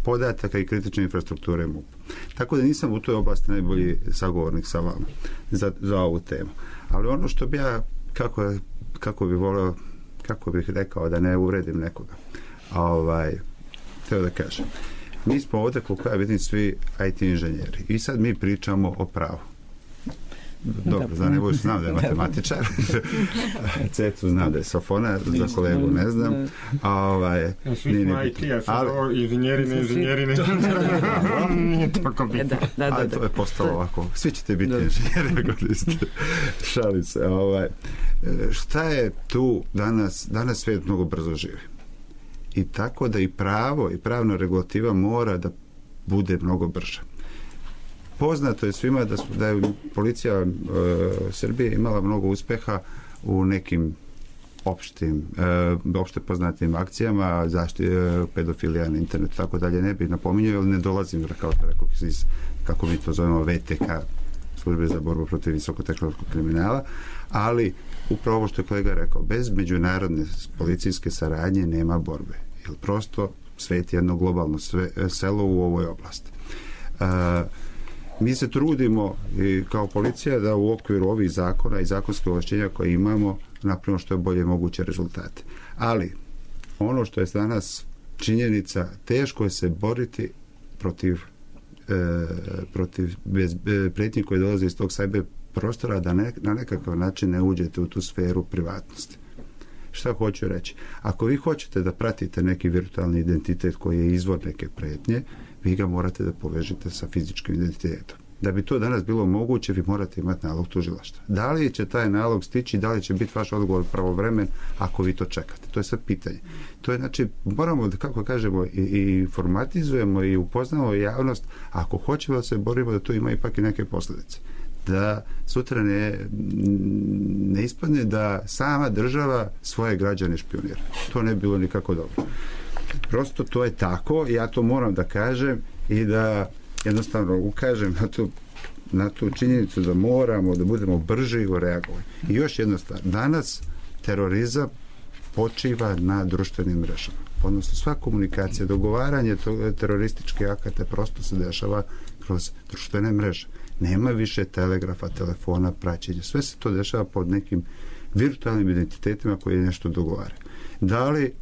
podataka i kritične infrastrukture M U P. Tako da nisam u toj oblasti najbolji sagovornik sa vama za, za ovu temu. Ali ono što bi ja, kako, kako bi voleo, kako bih rekao da ne uvredim nekoga, ovaj, teo da kažem. Mi smo ovdje, koliko ja vidim, svi I T inženjeri. I sad mi pričamo o pravu. Dobro, za Nebojš znam da je matematičar. Cecu znam da je sofona, za kolegu ne znam. A ovaj, svi smo I T, a sad inženjeri, ne inženjeri, ne nije toliko bitno. Ali to je postalo ovako. Svi ćete biti inženjeri, ako niste. Šalim se. Ovaj, šta je tu danas? Danas svijet mnogo brzo živi. I tako da i pravo i pravna regulativa mora da bude mnogo brža. Poznato je svima da, su, da je policija e, Srbije imala mnogo uspeha u nekim opštim, e, opšte poznatim akcijama, zašti, e, pedofilija na internetu, tako dalje, ne bih napominjao, ali ne dolazim, kao što rekao, iz, kako mi to zovemo, V T K, službe za borbu protiv visokotehnološkog kriminala, ali upravo ovo što je kolega rekao, bez međunarodne policijske saradnje nema borbe. Jer prosto svet je jedno globalno sve, selo u ovoj oblasti. E, mi se trudimo i kao policija da u okviru ovih zakona i zakonske ovlašćenja koje imamo napravimo što je bolje moguće rezultate. Ali ono što je danas činjenica, teško je se boriti protiv, e, protiv bez, e, pretnji koje dolaze iz tog sajber prostora da ne, na nekakav način ne uđete u tu sferu privatnosti. Šta hoću reći? Ako vi hoćete da pratite neki virtualni identitet koji je izvor neke pretnje, vi ga morate da povežete sa fizičkim identitetom. Da bi to danas bilo moguće, vi morate imati nalog tužilaštva. Da li će taj nalog stići, da li će biti vaš odgovor pravovremen ako vi to čekate? To je sad pitanje. To je, znači, moramo, da, kako kažemo, i, i informatizujemo i upoznamo javnost, ako hoćemo da se borimo da to ima ipak i neke posljedice. Da sutra ne, ne ispadne da sama država svoje građane špionira. To ne bi bilo nikako dobro. Prosto to je tako, ja to moram da kažem i da jednostavno ukažem na tu, na tu činjenicu da moramo da budemo brži u reagovanju. I još jedna stvar, danas terorizam počiva na društvenim mrežama. Odnosno sva komunikacija, dogovaranje terorističkih akata prosto se dešava kroz društvene mreže. Nema više telegrafa, telefona, praćenja. Sve se to dešava pod nekim virtualnim identitetima koji nešto dogovara. Da li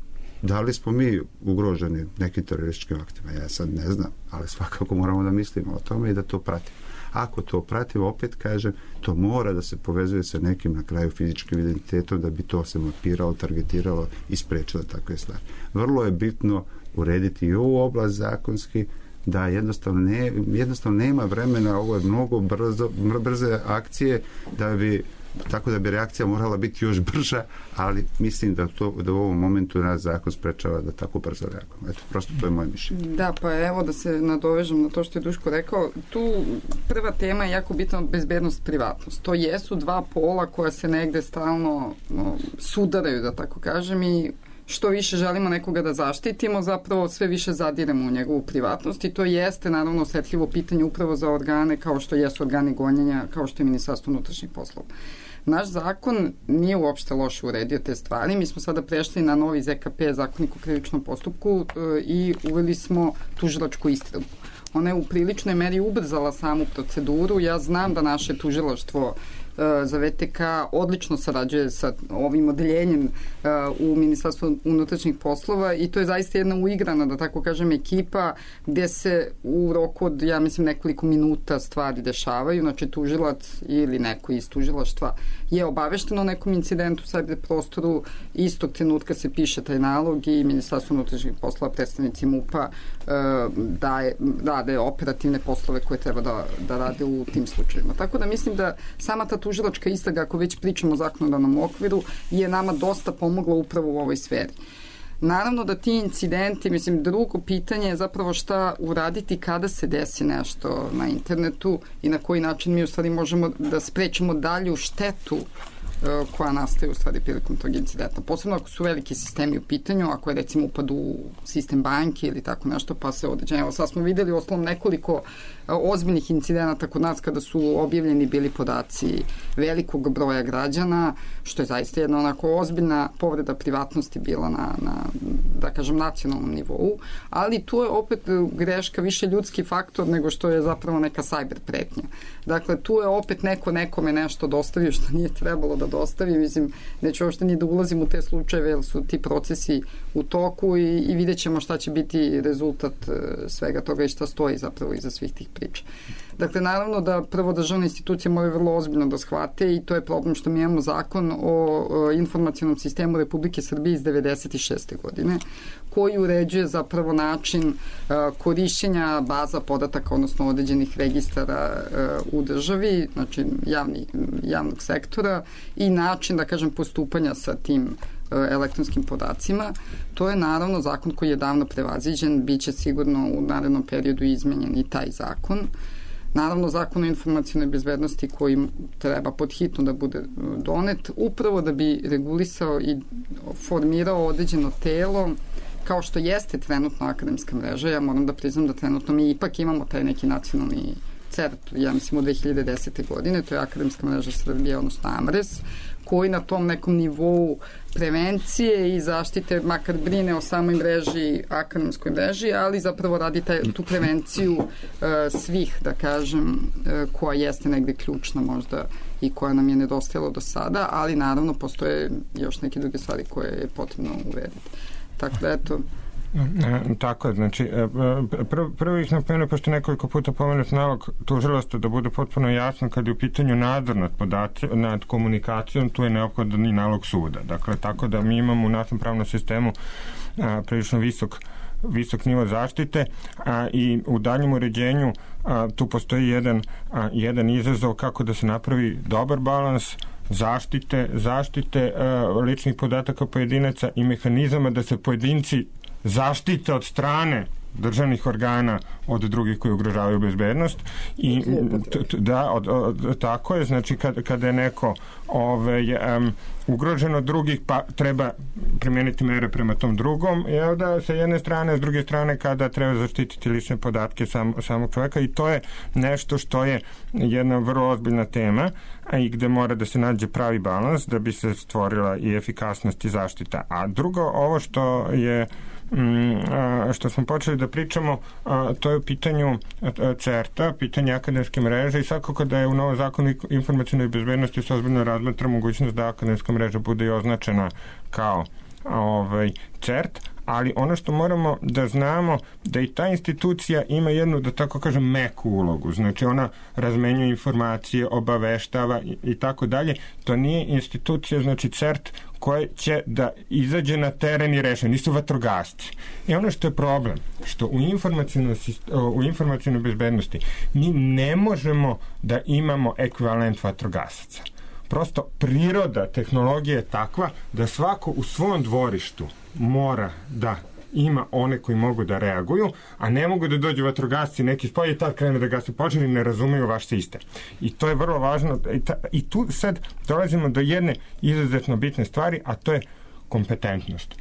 Da li smo mi ugroženi nekim terorističkim aktima? Ja sad ne znam, ali svakako moramo da mislimo o tome i da to pratimo. Ako to pratimo, opet kažem, to mora da se povezuje sa nekim na kraju fizičkim identitetom da bi to se mapiralo, targetiralo i sprečilo takve stvari. Vrlo je bitno urediti i ovu oblast zakonski, da jednostavno, ne, jednostavno nema vremena, ovo je mnogo brzo, brze akcije da bi tako da bi reakcija morala biti još brža, ali mislim da, to, da u ovom momentu nas zakon sprečava da tako brzo reagujemo. Eto, prosto to je moje mišljenje. Da, pa evo da se nadovežem na to što je Duško rekao. Tu prva tema je jako bitna bezbednost, privatnost. To jesu dva pola koja se negde stalno no, sudaraju, da tako kažem, i što više želimo nekoga da zaštitimo, zapravo sve više zadiremo u njegovu privatnost i to jeste naravno osetljivo pitanje upravo za organe kao što jesu organi gonjenja, kao što je Ministarstvo unutrašnjih poslova. Naš zakon nije uopšte loše uredio te stvari. Mi smo sada prešli na novi Z K P, Zakonik o krivičnom postupku, i uveli smo tužilačku istragu. Ona je u priličnoj meri ubrzala samu proceduru. Ja znam da naše tužilaštvo za V T K odlično sarađuje sa ovim odeljenjem u Ministarstvu unutrašnjih poslova i to je zaista jedna uigrana, da tako kažem, ekipa gde se u roku od, ja mislim, nekoliko minuta stvari dešavaju. Znači, tužilac ili neko iz tužilaštva je obavešteno o nekom incidentu u cyber prostoru, istog trenutka se piše taj nalog i Ministarstvo unutrašnjih poslova, predstavnici MUP-a daje, daje operativne poslove koje treba da, da rade u tim slučajima. Tako da mislim da sama ta tužilačka istraga, ako već pričamo o zakonodavnom okviru, je nama dosta pomogla upravo u ovoj sferi. Naravno da ti incidenti, mislim, drugo pitanje je zapravo šta uraditi kada se desi nešto na internetu i na koji način mi u stvari možemo da sprečimo dalju štetu koja nastaje u stvari prilikom tog incidenta. Posebno ako su veliki sistemi u pitanju, ako je recimo upad u sistem banke ili tako nešto, pa se određenje. Evo sad smo videli u osnovom nekoliko ozbiljnih incidenata kod nas kada su objavljeni bili podaci velikog broja građana, što je zaista jedna onako ozbiljna povreda privatnosti bila na, na da kažem, nacionalnom nivou, ali tu je opet greška više ljudski faktor nego što je zapravo neka cyber pretnja. Dakle, tu je opet neko nekome nešto dostavio što nije trebalo da dostavi. Mislim, neću uopšte ni da ulazim u te slučajeve, jer su ti procesi u toku i, i vidjet ćemo šta će biti rezultat svega toga i šta stoji zapravo iza svih tih priča. Dakle, naravno da prvo državne institucije moraju vrlo ozbiljno da shvate i to je problem što mi imamo zakon o, o informacionom sistemu Republike Srbije iz devedeset šeste godine koji uređuje zapravo način uh, korišćenja baza podataka, odnosno određenih registara uh, u državi, znači javni, javnog sektora i način, da kažem, postupanja sa tim uh, elektronskim podacima. To je naravno zakon koji je davno prevaziđen, bit će sigurno u narednom periodu izmenjen i taj zakon. Naravno, zakon o informacionoj bezbednosti koji treba podhitno da bude donet, upravo da bi regulisao i formirao određeno telo, kao što jeste trenutno akademska mreža. Ja moram da priznam da trenutno mi ipak imamo taj neki nacionalni CERT, ja mislim, od dve hiljade desete. godine, to je Akademska mreža Srbije, odnosno AMRES, koji na tom nekom nivou prevencije i zaštite makar brine o samoj mreži, akademskoj mreži, ali zapravo radi taj, tu prevenciju uh, svih, da kažem, uh, koja jeste negde ključna možda i koja nam je nedostajala do sada, ali naravno postoje još neke druge stvari koje je potrebno urediti. Tako da, eto, E, tako je, znači prvo prv ih napomenuo, pošto nekoliko puta pomenut nalog tužilaštva da bude potpuno jasno kad je u pitanju nadzor nad podaci, nad komunikacijom, tu je neophodan i nalog suda. Dakle, tako da mi imamo u našem pravnom sistemu a, prilično visok visok nivo zaštite a, i u daljem uređenju a, tu postoji jedan, a, jedan izazov kako da se napravi dobar balans zaštite, zaštite a, ličnih podataka pojedinaca i mehanizama da se pojedinci zaštite od strane državnih organa od drugih koji ugrožavaju bezbednost i t, t, da, od, od, tako je, znači kad, kada je neko ove, um, ugrožen od drugih, pa treba primijeniti mere prema tom drugom, je da sa jedne strane, s druge strane kada treba zaštititi lične podatke sam, samog čovjeka i to je nešto što je jedna vrlo ozbiljna tema a i gde mora da se nađe pravi balans da bi se stvorila i efikasnost i zaštita. A drugo, ovo što je što smo počeli da pričamo, to je u pitanju CERT-a, pitanje akademske mreže i svakako da je u novom zakonu informacionoj bezbednosti se ozbiljno razmatra mogućnost da akademska mreža bude i označena kao ovaj, CERT, ali ono što moramo da znamo da i ta institucija ima jednu, da tako kažem, meku ulogu. Znači ona razmenjuje informacije, obaveštava i, i tako dalje. To nije institucija, znači CERT, koja će da izađe na teren i reše. Nisu vatrogasci. I ono što je problem, što u informacionoj, u informacionoj bezbednosti mi ne možemo da imamo ekvivalent vatrogasaca. Prosto priroda tehnologije je takva da svako u svom dvorištu mora da ima one koji mogu da reaguju, a ne mogu da dođu vatrogasci neki spolje i tad krene da gase požar i ne razumeju vaš sistem. I to je vrlo važno. I, ta, i tu sad dolazimo do jedne izuzetno bitne stvari, a to je kompetentnost.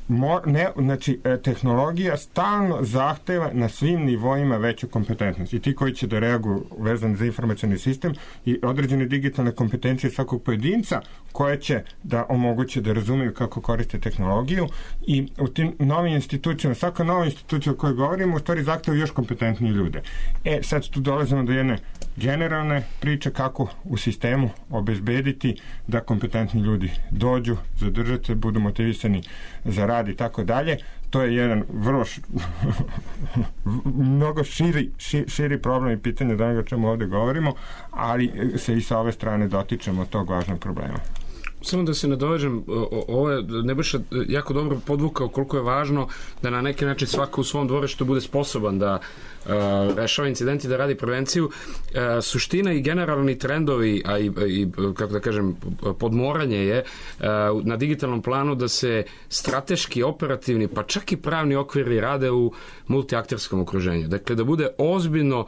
Mor, ne, znači, tehnologija stalno zahteva na svim nivoima veću kompetentnost. I ti koji će da reaguju vezan za informacioni sistem i određene digitalne kompetencije svakog pojedinca koje će da omoguće da razumeju kako koriste tehnologiju i u tim novim institucijama, svaka nova institucija o kojoj govorimo u stvari zahteva još kompetentnije ljude. E, sad tu dolazimo do jedne generalne priče kako u sistemu obezbediti da kompetentni ljudi dođu, zadržati se, budu motivisani za rad i tako dalje. To je jedan vrlo š... mnogo širi, ši, širi problem i pitanje da onoga čemu ovde govorimo, ali se i sa ove strane dotičemo tog važnog problema. Samo da se nadovežem, ovo je Nebojša jako dobro podvukao koliko je važno da na neki način svako u svom dvorištu bude sposoban da uh, rešava incidenti, da radi prevenciju. Uh, suština i generalni trendovi, a i, i kako da kažem, podmoranje je uh, na digitalnom planu da se strateški, operativni, pa čak i pravni okviri rade u multiakterskom okruženju. Dakle, da bude ozbiljno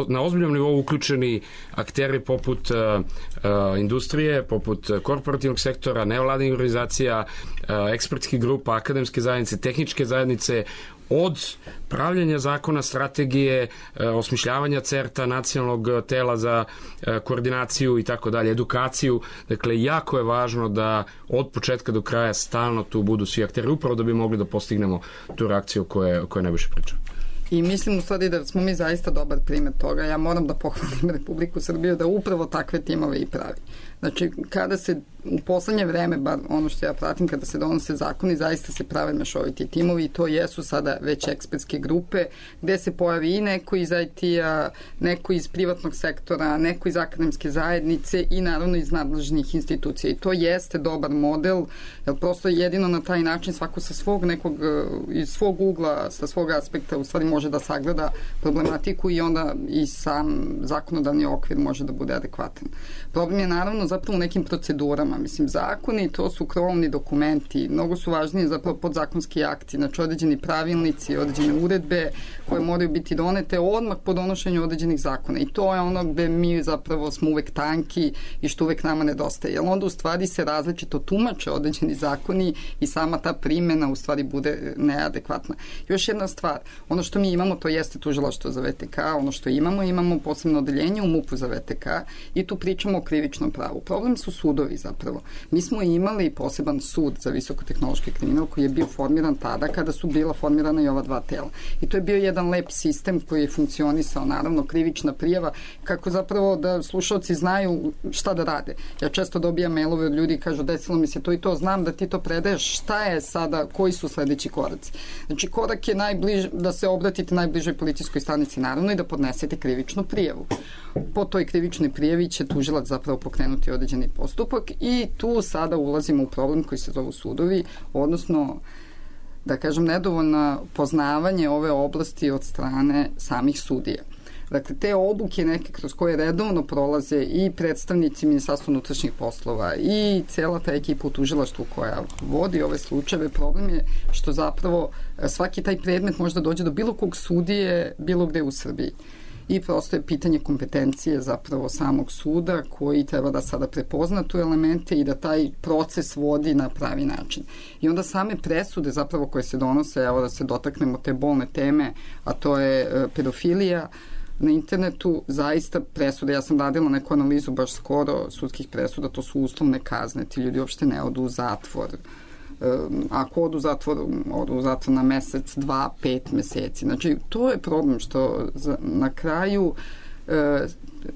na ozbiljnom nivou uključeni akteri poput uh, uh, industrije, poput korporativnog sektora, nevladinih organizacija, uh, ekspertskih grupa, akademske zajednice, tehničke zajednice, od pravljenja zakona, strategije, uh, osmišljavanja CERTA, nacionalnog tela za uh, koordinaciju i tako dalje, edukaciju. Dakle, jako je važno da od početka do kraja stalno tu budu svi akteri, upravo da bi mogli da postignemo tu reakciju koje, koje Nebojša priča. I mislim u stvari da smo mi zaista dobar primjer toga. Ja moram da pohvalim Republiku Srbiju da upravo takve timove i pravi. Znači, kada se u poslednje vreme, bar ono što ja pratim, kada se donose zakoni, zaista se prave mešoviti timovi i to jesu sada već ekspertske grupe gde se pojavi i neko iz I T-a, neko iz privatnog sektora, neko iz akademske zajednice i naravno iz nadležnih institucija. I to jeste dobar model, jer prosto jedino na taj način svako sa svog nekog, iz svog ugla, sa svog aspekta u stvari može da sagleda problematiku i onda i sam zakonodavni okvir može da bude adekvatan. Problem je naravno zapravo u nekim procedurama. Mislim, zakoni, to su krovni dokumenti, mnogo su važnije zapravo podzakonski akti, znači određeni pravilnici, određene uredbe koje moraju biti donete odmah po donošenju određenih zakona. I to je ono gde mi zapravo smo uvek tanki i što uvek nama nedostaje. Jer onda u stvari se različito tumače određeni zakoni i sama ta primjena u stvari bude neadekvatna. Još jedna stvar, ono što mi imamo to jeste tužilaštvo za V T K, ono što imamo, imamo posebno odeljenje u MUP-u za V T K i tu pričamo o krivičnom pravu. Problem su sudovi zapravo. Mi smo imali poseban sud za visokotehnološki kriminal koji je bio formiran tada kada su bila formirana i ova dva tela. I to je bio jedan lep sistem koji je funkcionisao, naravno krivična prijava, kako zapravo da slušalci znaju šta da rade. Ja često dobijam mailove od ljudi i kažu desilo mi se to i to, znam da ti to predaješ, šta je sada, koji su sledeći koraci. Znači korak je najbliž, da se obratite najbližoj policijskoj stanici naravno i da podnesete krivičnu prijavu. Po toj krivičnoj prijavi će tužilac zapravo pokrenuti određeni postupak i tu sada ulazimo u problem koji se zovu sudovi, odnosno da kažem nedovoljno poznavanje ove oblasti od strane samih sudija. Dakle, te obuke neke kroz koje redovno prolaze i predstavnici Ministarstva unutrašnjih poslova i cela ta ekipa u tužilaštvu koja vodi ove slučajeve, problem je što zapravo svaki taj predmet može da dođe do bilo kog sudije bilo gde u Srbiji. I prosto je pitanje kompetencije zapravo samog suda koji treba da sada prepozna tu elemente i da taj proces vodi na pravi način. I onda same presude zapravo koje se donose, evo da se dotaknemo te bolne teme, a to je pedofilija, na internetu zaista presude, ja sam radila neku analizu baš skoro sudskih presuda, to su uslovne kazne, ti ljudi uopšte ne odu u zatvor. Ako odu u zatvor, odu u zatvor na mesec, dva, pet meseci. Znači, to je problem što na kraju e,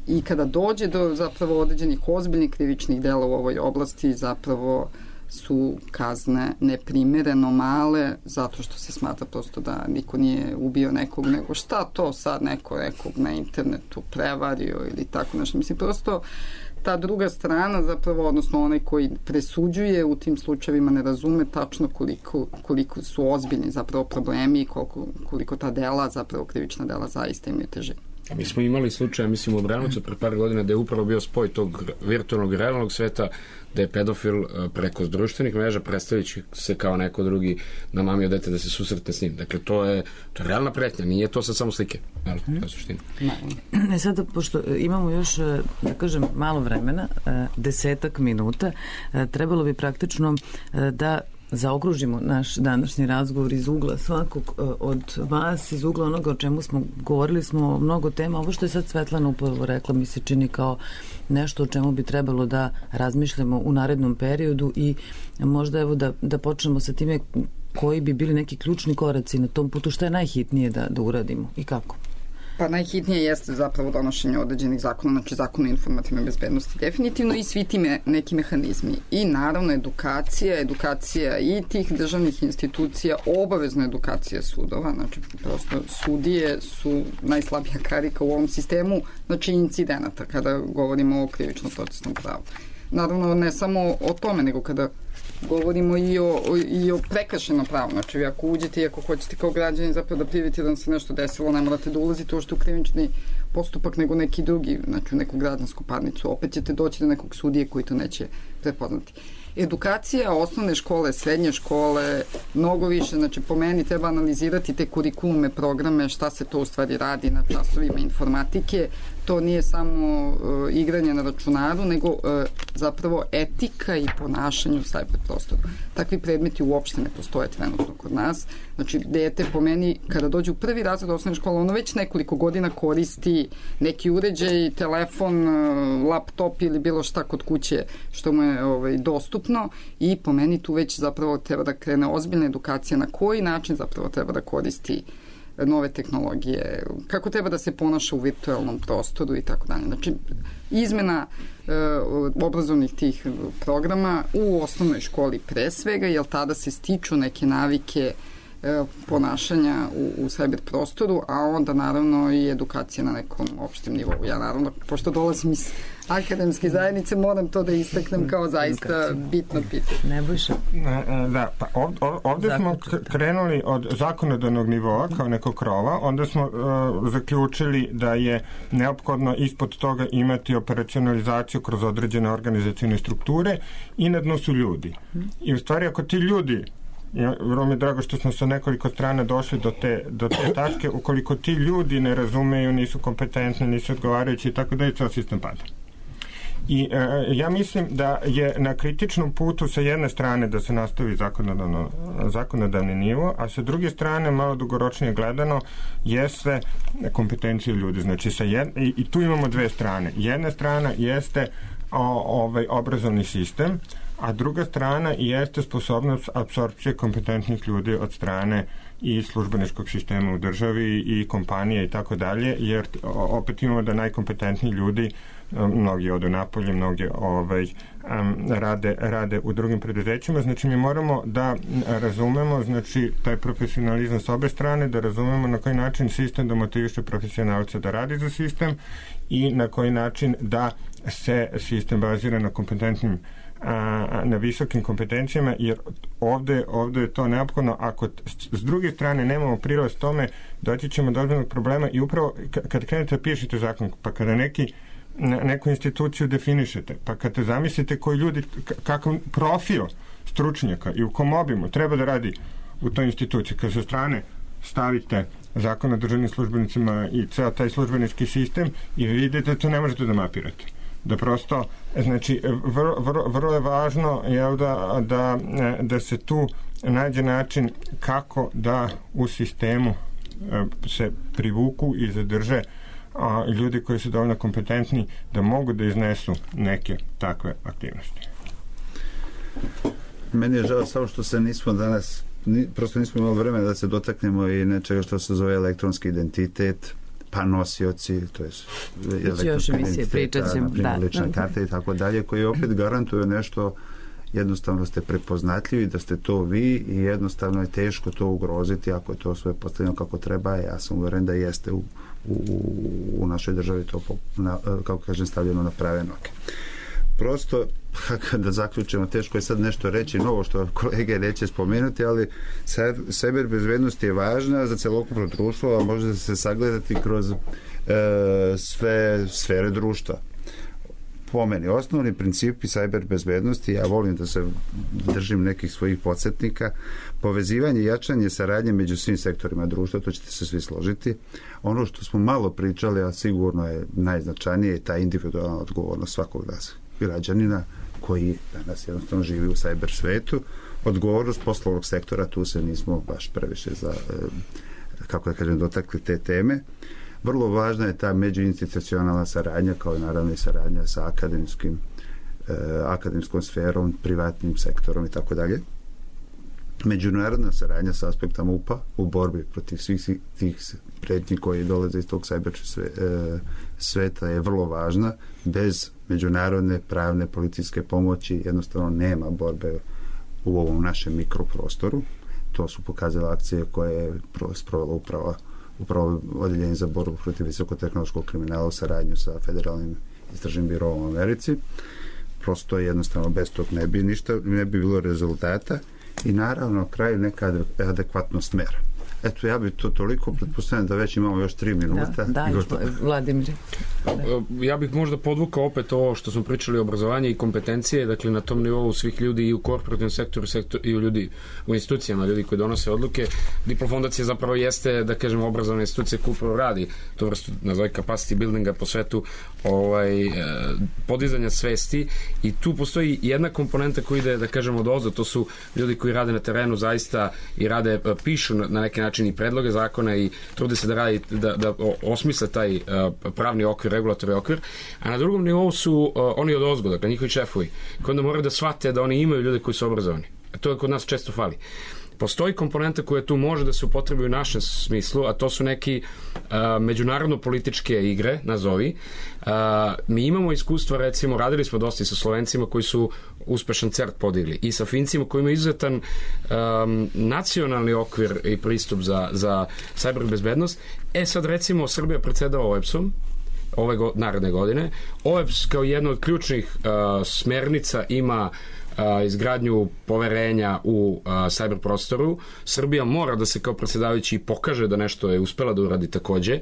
i kada dođe do zapravo određenih ozbiljnih krivičnih dela u ovoj oblasti, zapravo su kazne neprimereno male zato što se smatra prosto da niko nije ubio nekog, nego šta to sad neko nekog na internetu prevario ili tako nešto. Mislim, prosto ta druga strana zapravo, odnosno onaj koji presuđuje u tim slučajevima ne razume tačno koliko, koliko su ozbiljni zapravo problemi i koliko, koliko ta dela, zapravo krivična dela zaista imaju težinu. Mi smo imali slučaj, mislim, u Obranovcu pre par godina da je upravo bio spoj tog virtualnog i realnog sveta, da je pedofil preko društvenih mreža predstavljajući se kao neko drugi namamio dete da se susretne s njim. Dakle, to je, to je realna pretnja, nije to sad samo slike. Jel, to je suština. E sada, pošto imamo još, da kažem, malo vremena, desetak minuta, trebalo bi praktično da zaokružimo naš današnji razgovor iz ugla svakog od vas, iz ugla onoga o čemu smo govorili smo mnogo tema. Ovo što je sad Svetlana upravo rekla mi se čini kao nešto o čemu bi trebalo da razmišljamo u narednom periodu i možda evo da, da počnemo sa time koji bi bili neki ključni koraci na tom putu, što je najhitnije da, da uradimo i kako. Pa najhitnije jeste zapravo donošenje određenih zakona, znači zakon o informativnoj bezbednosti definitivno i svi ti me, neki mehanizmi. I naravno edukacija, edukacija i tih državnih institucija, obavezna edukacija sudova, znači prosto sudije su najslabija karika u ovom sistemu, znači incidenata kada govorimo o krivičnom procesnom pravu. Naravno ne samo o tome, nego kada govorimo i o, i o prekršenom pravu. Znači, vi ako uđete i ako hoćete kao građani zapravo da prijavite da vam se nešto desilo, ne morate da ulazite uopšte u krivični postupak nego neki drugi, znači u neku građansku parnicu. Opet ćete doći do nekog sudije koji to neće prepoznati. Edukacija, osnovne škole, srednje škole, mnogo više, znači po meni treba analizirati te kurikulume, programe, šta se to u stvari radi na časovima informatike. To nije samo uh, igranje na računaru, nego uh, zapravo etika i ponašanje u cyber prostoru. Takvi predmeti uopšte ne postoje trenutno kod nas. Znači, dete po meni, kada dođe u prvi razred osnovne škole, ono već nekoliko godina koristi neki uređaj, telefon, uh, laptop ili bilo šta kod kuće što mu je ovaj, dostupno i po meni tu već zapravo treba da krene ozbiljna edukacija na koji način zapravo treba da koristi nove tehnologije, kako treba da se ponaša u virtualnom prostoru i tako dalje. Znači, izmena e, obrazovnih tih programa u osnovnoj školi pre svega, jer tada se stiču neke navike e, ponašanja u, u cyber prostoru, a onda naravno i edukacija na nekom opštem nivou. Ja naravno, pošto dolazim iz akademske zajednice, moram to da istaknem kao zaista bitno pitanje. Ne bojša. Da, pa ovde, ovde smo krenuli od zakonodavnog nivoa kao nekog krova, onda smo uh, zaključili da je neophodno ispod toga imati operacionalizaciju kroz određene organizacijne strukture i na dnu su ljudi. I u stvari ako ti ljudi, vrlo mi je drago što smo sa nekoliko strana došli do te, do te tačke, ukoliko ti ljudi ne razumeju, nisu kompetentni, nisu odgovarajući i tako da je ceo sistem pada. I e, ja mislim da je na kritičnom putu sa jedne strane da se nastavi zakonodavno, zakonodavni nivo, a sa druge strane, malo dugoročnije gledano, jeste kompetencije ljudi. Znači, sa jed, i, i tu imamo dve strane. Jedna strana jeste o, ovaj obrazovni sistem, a druga strana jeste sposobnost apsorpcije kompetentnih ljudi od strane i službeničkog sistema u državi i kompanije i tako dalje, jer opet imamo da najkompetentniji ljudi, mnogi odu napolje, mnogi ovaj, um, rade, rade u drugim preduzećima. Znači, mi moramo da razumemo, znači, taj profesionalizam s obe strane, da razumemo na koji način sistem da motiviše profesionalce da radi za sistem i na koji način da se sistem bazira na kompetentnim a, na visokim kompetencijama, jer ovde, ovde je to neophodno. Ako s druge strane nemamo prilaz tome, doći ćemo do ozbiljnog problema i upravo kad krenete da pišete zakon, pa kada neki neku instituciju definišete, pa kad te zamislite koji ljudi, kakav profil stručnjaka i u kom obimu treba da radi u toj instituciji, kad sa strane stavite zakon o državnim službenicima i ceo taj službenički sistem i vidite da to ne možete da mapirate. Da prosto, znači, vrlo, vrlo, vrlo je važno jel, da, da, da se tu nađe način kako da u sistemu se privuku i zadrže a ljudi koji su dovoljno kompetentni da mogu da iznesu neke takve aktivnosti. Meni je žao samo što se nismo danas, ni, prosto nismo imali vremena da se dotaknemo i nečega što se zove elektronski identitet, pa nosioci, to je elektronski identitet, na primjer lična karta i tako dalje, koji opet garantuju nešto jednostavno ste prepoznatljivi da ste to vi i jednostavno je teško to ugroziti ako je to sve postavljeno kako treba. Ja sam uveren da jeste u, u, u našoj državi to, na, kako kažem, stavljeno na prave noge. Prosto, da zaključimo, teško je sad nešto reći novo što kolege neće spomenuti, ali cyber bezbednost je važna za celokupno društvo, a može se sagledati kroz e, sve sfere društva. Po meni, osnovni principi cyber bezbednosti, ja volim da se držim nekih svojih podsjetnika, povezivanje i jačanje saradnje među svim sektorima društva, to ćete se svi složiti. Ono što smo malo pričali, a sigurno je najznačajnije, je ta individualna odgovornost svakog nas građanina koji danas jednostavno živi u cyber svetu. Odgovornost poslovnog sektora, tu se nismo baš previše za, kako da kažem, dotakli te teme. Vrlo važna je ta međuinstitucionalna saradnja, kao i naravno i saradnja sa akademskim, eh, akademskom sferom, privatnim sektorom i tako dalje. Međunarodna saradnja sa aspekta M U P-a u borbi protiv svih tih pretnji koji dolaze iz tog cyber sve, eh, sveta je vrlo važna. Bez međunarodne pravne policijske pomoći jednostavno nema borbe u ovom našem mikroprostoru. To su pokazale akcije koje je sprovela uprava upravo odjeljenje za borbu protiv visokotehnološkog kriminala u saradnju sa Federalnim istražnim birovom u Americi. Prosto jednostavno bez tog ne bi ništa, ne bi bilo rezultata i naravno na kraju neka adekvatnost mera. Eto, ja bih to toliko, pretpostavljam da već imamo još tri minuta. Da, da, Vladimir. Ja bih možda podvukao opet ovo što smo pričali o obrazovanju i kompetencije, dakle na tom nivou svih ljudi i u korporativnom sektoru, sektor, i u ljudi u institucijama, ljudi koji donose odluke. Diplo fondacija zapravo jeste, da kažemo, obrazovna institucija koja upravo radi to vrstu, nazove capacity buildinga po svetu, ovaj, podizanja svesti, i tu postoji jedna komponenta koja ide, da kažemo, od ozdo, to su ljudi koji rade na terenu zaista i rade, pišu na neki način i predloge zakona i trude se da radi, da, da osmisle taj uh, pravni okvir, regulatorni okvir, a na drugom nivou su uh, oni od ozgo, dakle njihovi šefovi, koji onda moraju da shvate da oni imaju ljude koji su obrazovani. A to je kod nas često fali. Postoji komponenta koja tu može da se upotrebi u našem smislu, a to su neki uh, međunarodno-političke igre, nazovi. Uh, mi imamo iskustva, recimo, radili smo dosta i sa Slovencima koji su uspešan CERT podigli i sa Fincima koji imaju izuzetan um, nacionalni okvir i pristup za, za cyber bezbednost. E sad, recimo, Srbija predsjedava O E B S-om ove go, naredne godine. O E B S kao jedna od ključnih uh, smernica ima Uh, izgradnju poverenja u uh, cyber prostoru. Srbija mora da se kao predsjedavajući pokaže da nešto je uspela da uradi takođe,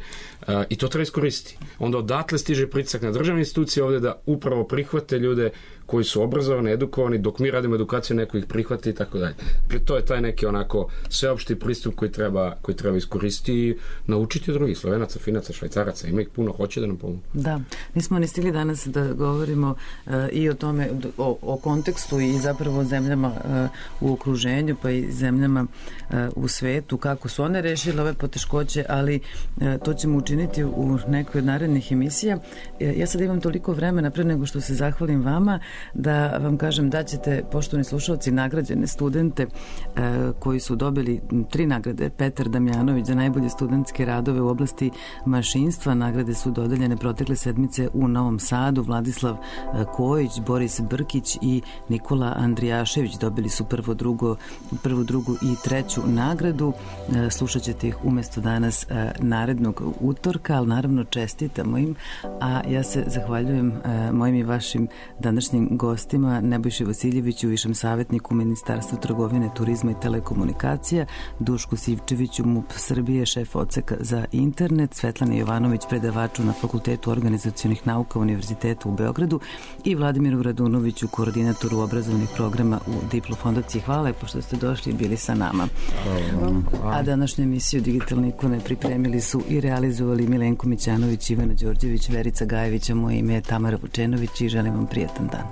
uh, i to treba iskoristiti. Onda odatle stiže pritisak na državne institucije ovde da upravo prihvate ljude koji su obrazovani, edukovani, dok mi radimo edukaciju, neko ih prihvati i tako dalje. To je taj neki onako sveopšti pristup koji treba, koji treba iskoristiti i naučiti od drugih Slovenaca, Finaca, Švajcaraca. Ima ih puno, hoće da nam pomogu. Da, nismo ni stigli danas da govorimo uh, i o tome, o, o kontekstu i zapravo zemljama uh, u okruženju, pa i zemljama uh, u svetu, kako su one rešile ove poteškoće, ali uh, to ćemo učiniti u nekoj od narednih emisija. Uh, ja sad imam toliko vremena pre nego što se zahvalim vama, da vam kažem da ćete, poštovani slušalci, nagrađene studente uh, koji su dobili tri nagrade. Petar Damjanović za najbolje studentske radove u oblasti mašinstva. Nagrade su dodeljene protekle sedmice u Novom Sadu. Vladislav uh, Kojić, Boris Brkić i Nikola Andrijašević dobili su prvo, drugo, prvu, drugu i treću nagradu. Uh, slušat ćete ih umesto danas uh, narednog utorka, ali naravno čestitamo im, a ja se zahvaljujem uh, mojim i vašim današnjim gostima, Nebojši Vasiljeviću, višem savjetniku Ministarstva trgovine, turizma i telekomunikacija, Dušku Sivčeviću, M U P Srbije, šef odseka za internet, Svetlana Jovanović, predavaču na Fakultetu organizacionih nauka Univerziteta u Beogradu i Vladimiru Radunoviću, koordinatoru obrazovnih programa u Diplo fondaciji. Hvala lepo što ste došli i bili sa nama. Hvala. A današnju emisiju Digitalne ikone pripremili su i realizovali Milenko Mićanović, Ivana Đorđević, Verica Gajević, a moje ime je Tamara Vučenović i želim vam prijatan dan.